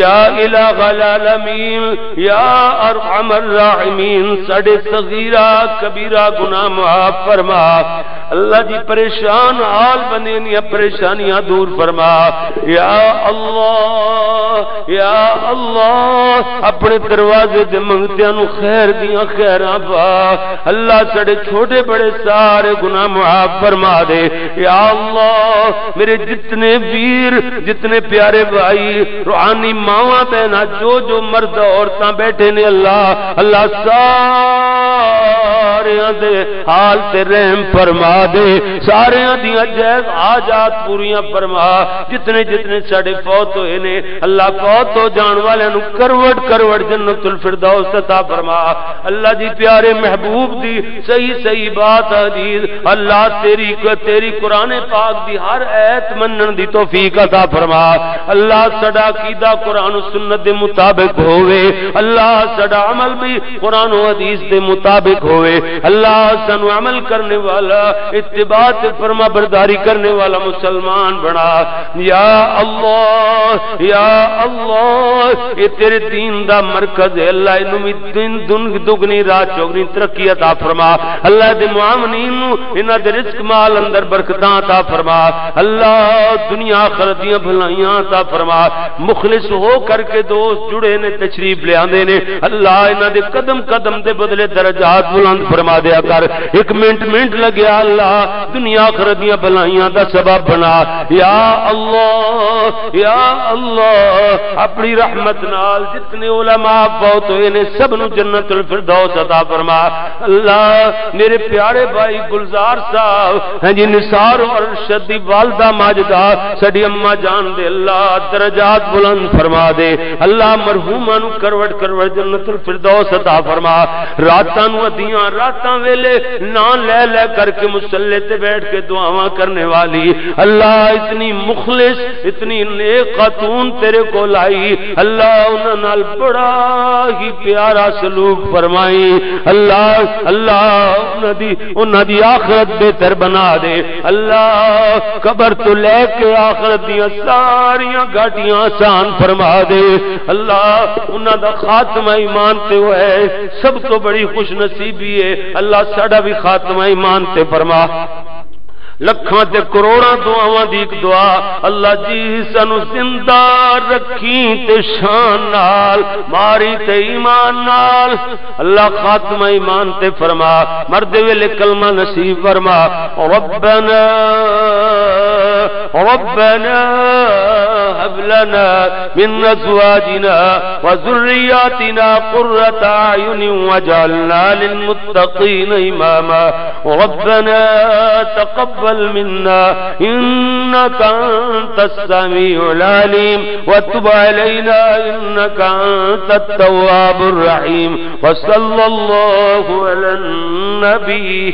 یا الہ العالمین، یا ارحم الراحمین، ساڈے صغیرہ کبیرہ گناہ معاف فرما۔ اللہ جی، پریشان حال بندے دیاں پریشانیاں دور فرما۔ یا اللہ، یا اللہ، اپنے دروازے دے منگتیاں نوں خیر دیاں خیراں پا۔ اللہ، ساڈے چھوٹے بڑے سارے گناہ معاف فرما دے۔ یا اللہ، میرے جتنے ویر، جتنے پیارے بھائی، روحانی ماواں بہناں، جو جو مرد عورتاں بیٹھے نے، اللہ، اللہ، ساریاں دے حال تے رحم فرما دے، ساریاں دیاں جائز حاجات پوریاں فرما۔ جتنے جتنے ساڈے فوت ہوئے نے، اللہ، فوت ہو جان والے نوں کروڑ کروڑ جنت الفردوس عطا فرما۔ اللہ جی، پیارے محبوب دی صحیح صحیح بات حدیث، اللہ، تیری، تیری قرآن پاک دی ہر آیت منن دی توفیق عطا فرما۔ اللہ، ساڈا عقیدہ قرآن و سنت دے مطابق ہووے۔ اللہ، ساڈا عمل بھی قرآن و حدیث دے مطابق ہووے۔ اللہ، سانو عمل کرنے والا، اتباع تے فرما برداری کرنے والا مسلمان بنا۔ یا اللہ، یا اللہ، اے تیرے دین دا مرکز ہے۔ اللہ، اینوں بھی دن دن دگنی رات چوگنی ترقی عطا فرما۔ اللہ دے معاونین نوں انہاں دے رزق مال اندر برکتاں عطا فرما۔ اللہ، دنیا آخرت دیاں بھلائیاں عطا فرما۔ مخلص ہو کر کے دوست جڑے نے، تشریف لے آندے نے۔ اللہ، انہاں دے قدم قدم دے بدلے درجات بلند فرما دیا کر۔ ایک منٹ منٹ لگیا، اللہ، دنیا آخرت دیاں بھلائیاں دا سبب بنا۔ یا اللہ، یا اللہ، اپنی رحمت نال جتنے علماء فوت ہوئے نے، سب نو جنت الفردوس عطا فرما۔ اللہ، میرے پیارے بھائی گلزار صاحب، ہاں جی، نثار اور ارشد دی والدہ ماجدہ، ساڈی اماں جان دے، اللہ، درجات بلند فرما دے۔ اللہ، مرحوماں نو کروڑ کروڑ جنت الفردوس عطا فرما۔ راتاں نو ادیاں راتاں ویلے ناں لے لے کر کے مصلے تے بیٹھ کے دعاواں کرنے والی، اللہ، اتنی مخلص، اتنی نیک خاتون تیرے کول آئی، اللہ، انہاں نال بڑا ہی پیارا سلوک فرمائی۔ اللہ، اللہ، انہاں دی، انہاں دی آخرت بہتر بنا دے۔ اللہ، قبر تو لے کے آخرت دیاں ساریاں گھاٹیاں آسان فرما دے۔ اللہ، انہاں دا خاتمہ ایمان تے ہوئے، سب تو بڑی خوش نصیبی ہے۔ اللہ، ساڈا بھی خاتمہ ایمان تے فرما۔ لکھاں تے کروڑاں دعاواں دی ایک دعا، اللہ جی سانو زندہ رکھی تے شان نال، ماری تے ایمان نال۔ اللہ خاتمہ ایمان تے فرما، مردے ویلے کلمہ نصیب فرما۔ ربنا، ربنا هب لنا من ازواجنا وذرياتنا قرة اعين واجعلنا للمتقين اماما۔ ربنا تقبل منا إنك أنت السميع العليم وتب علينا إنك أنت التواب الرحيم، وصلى الله على النبي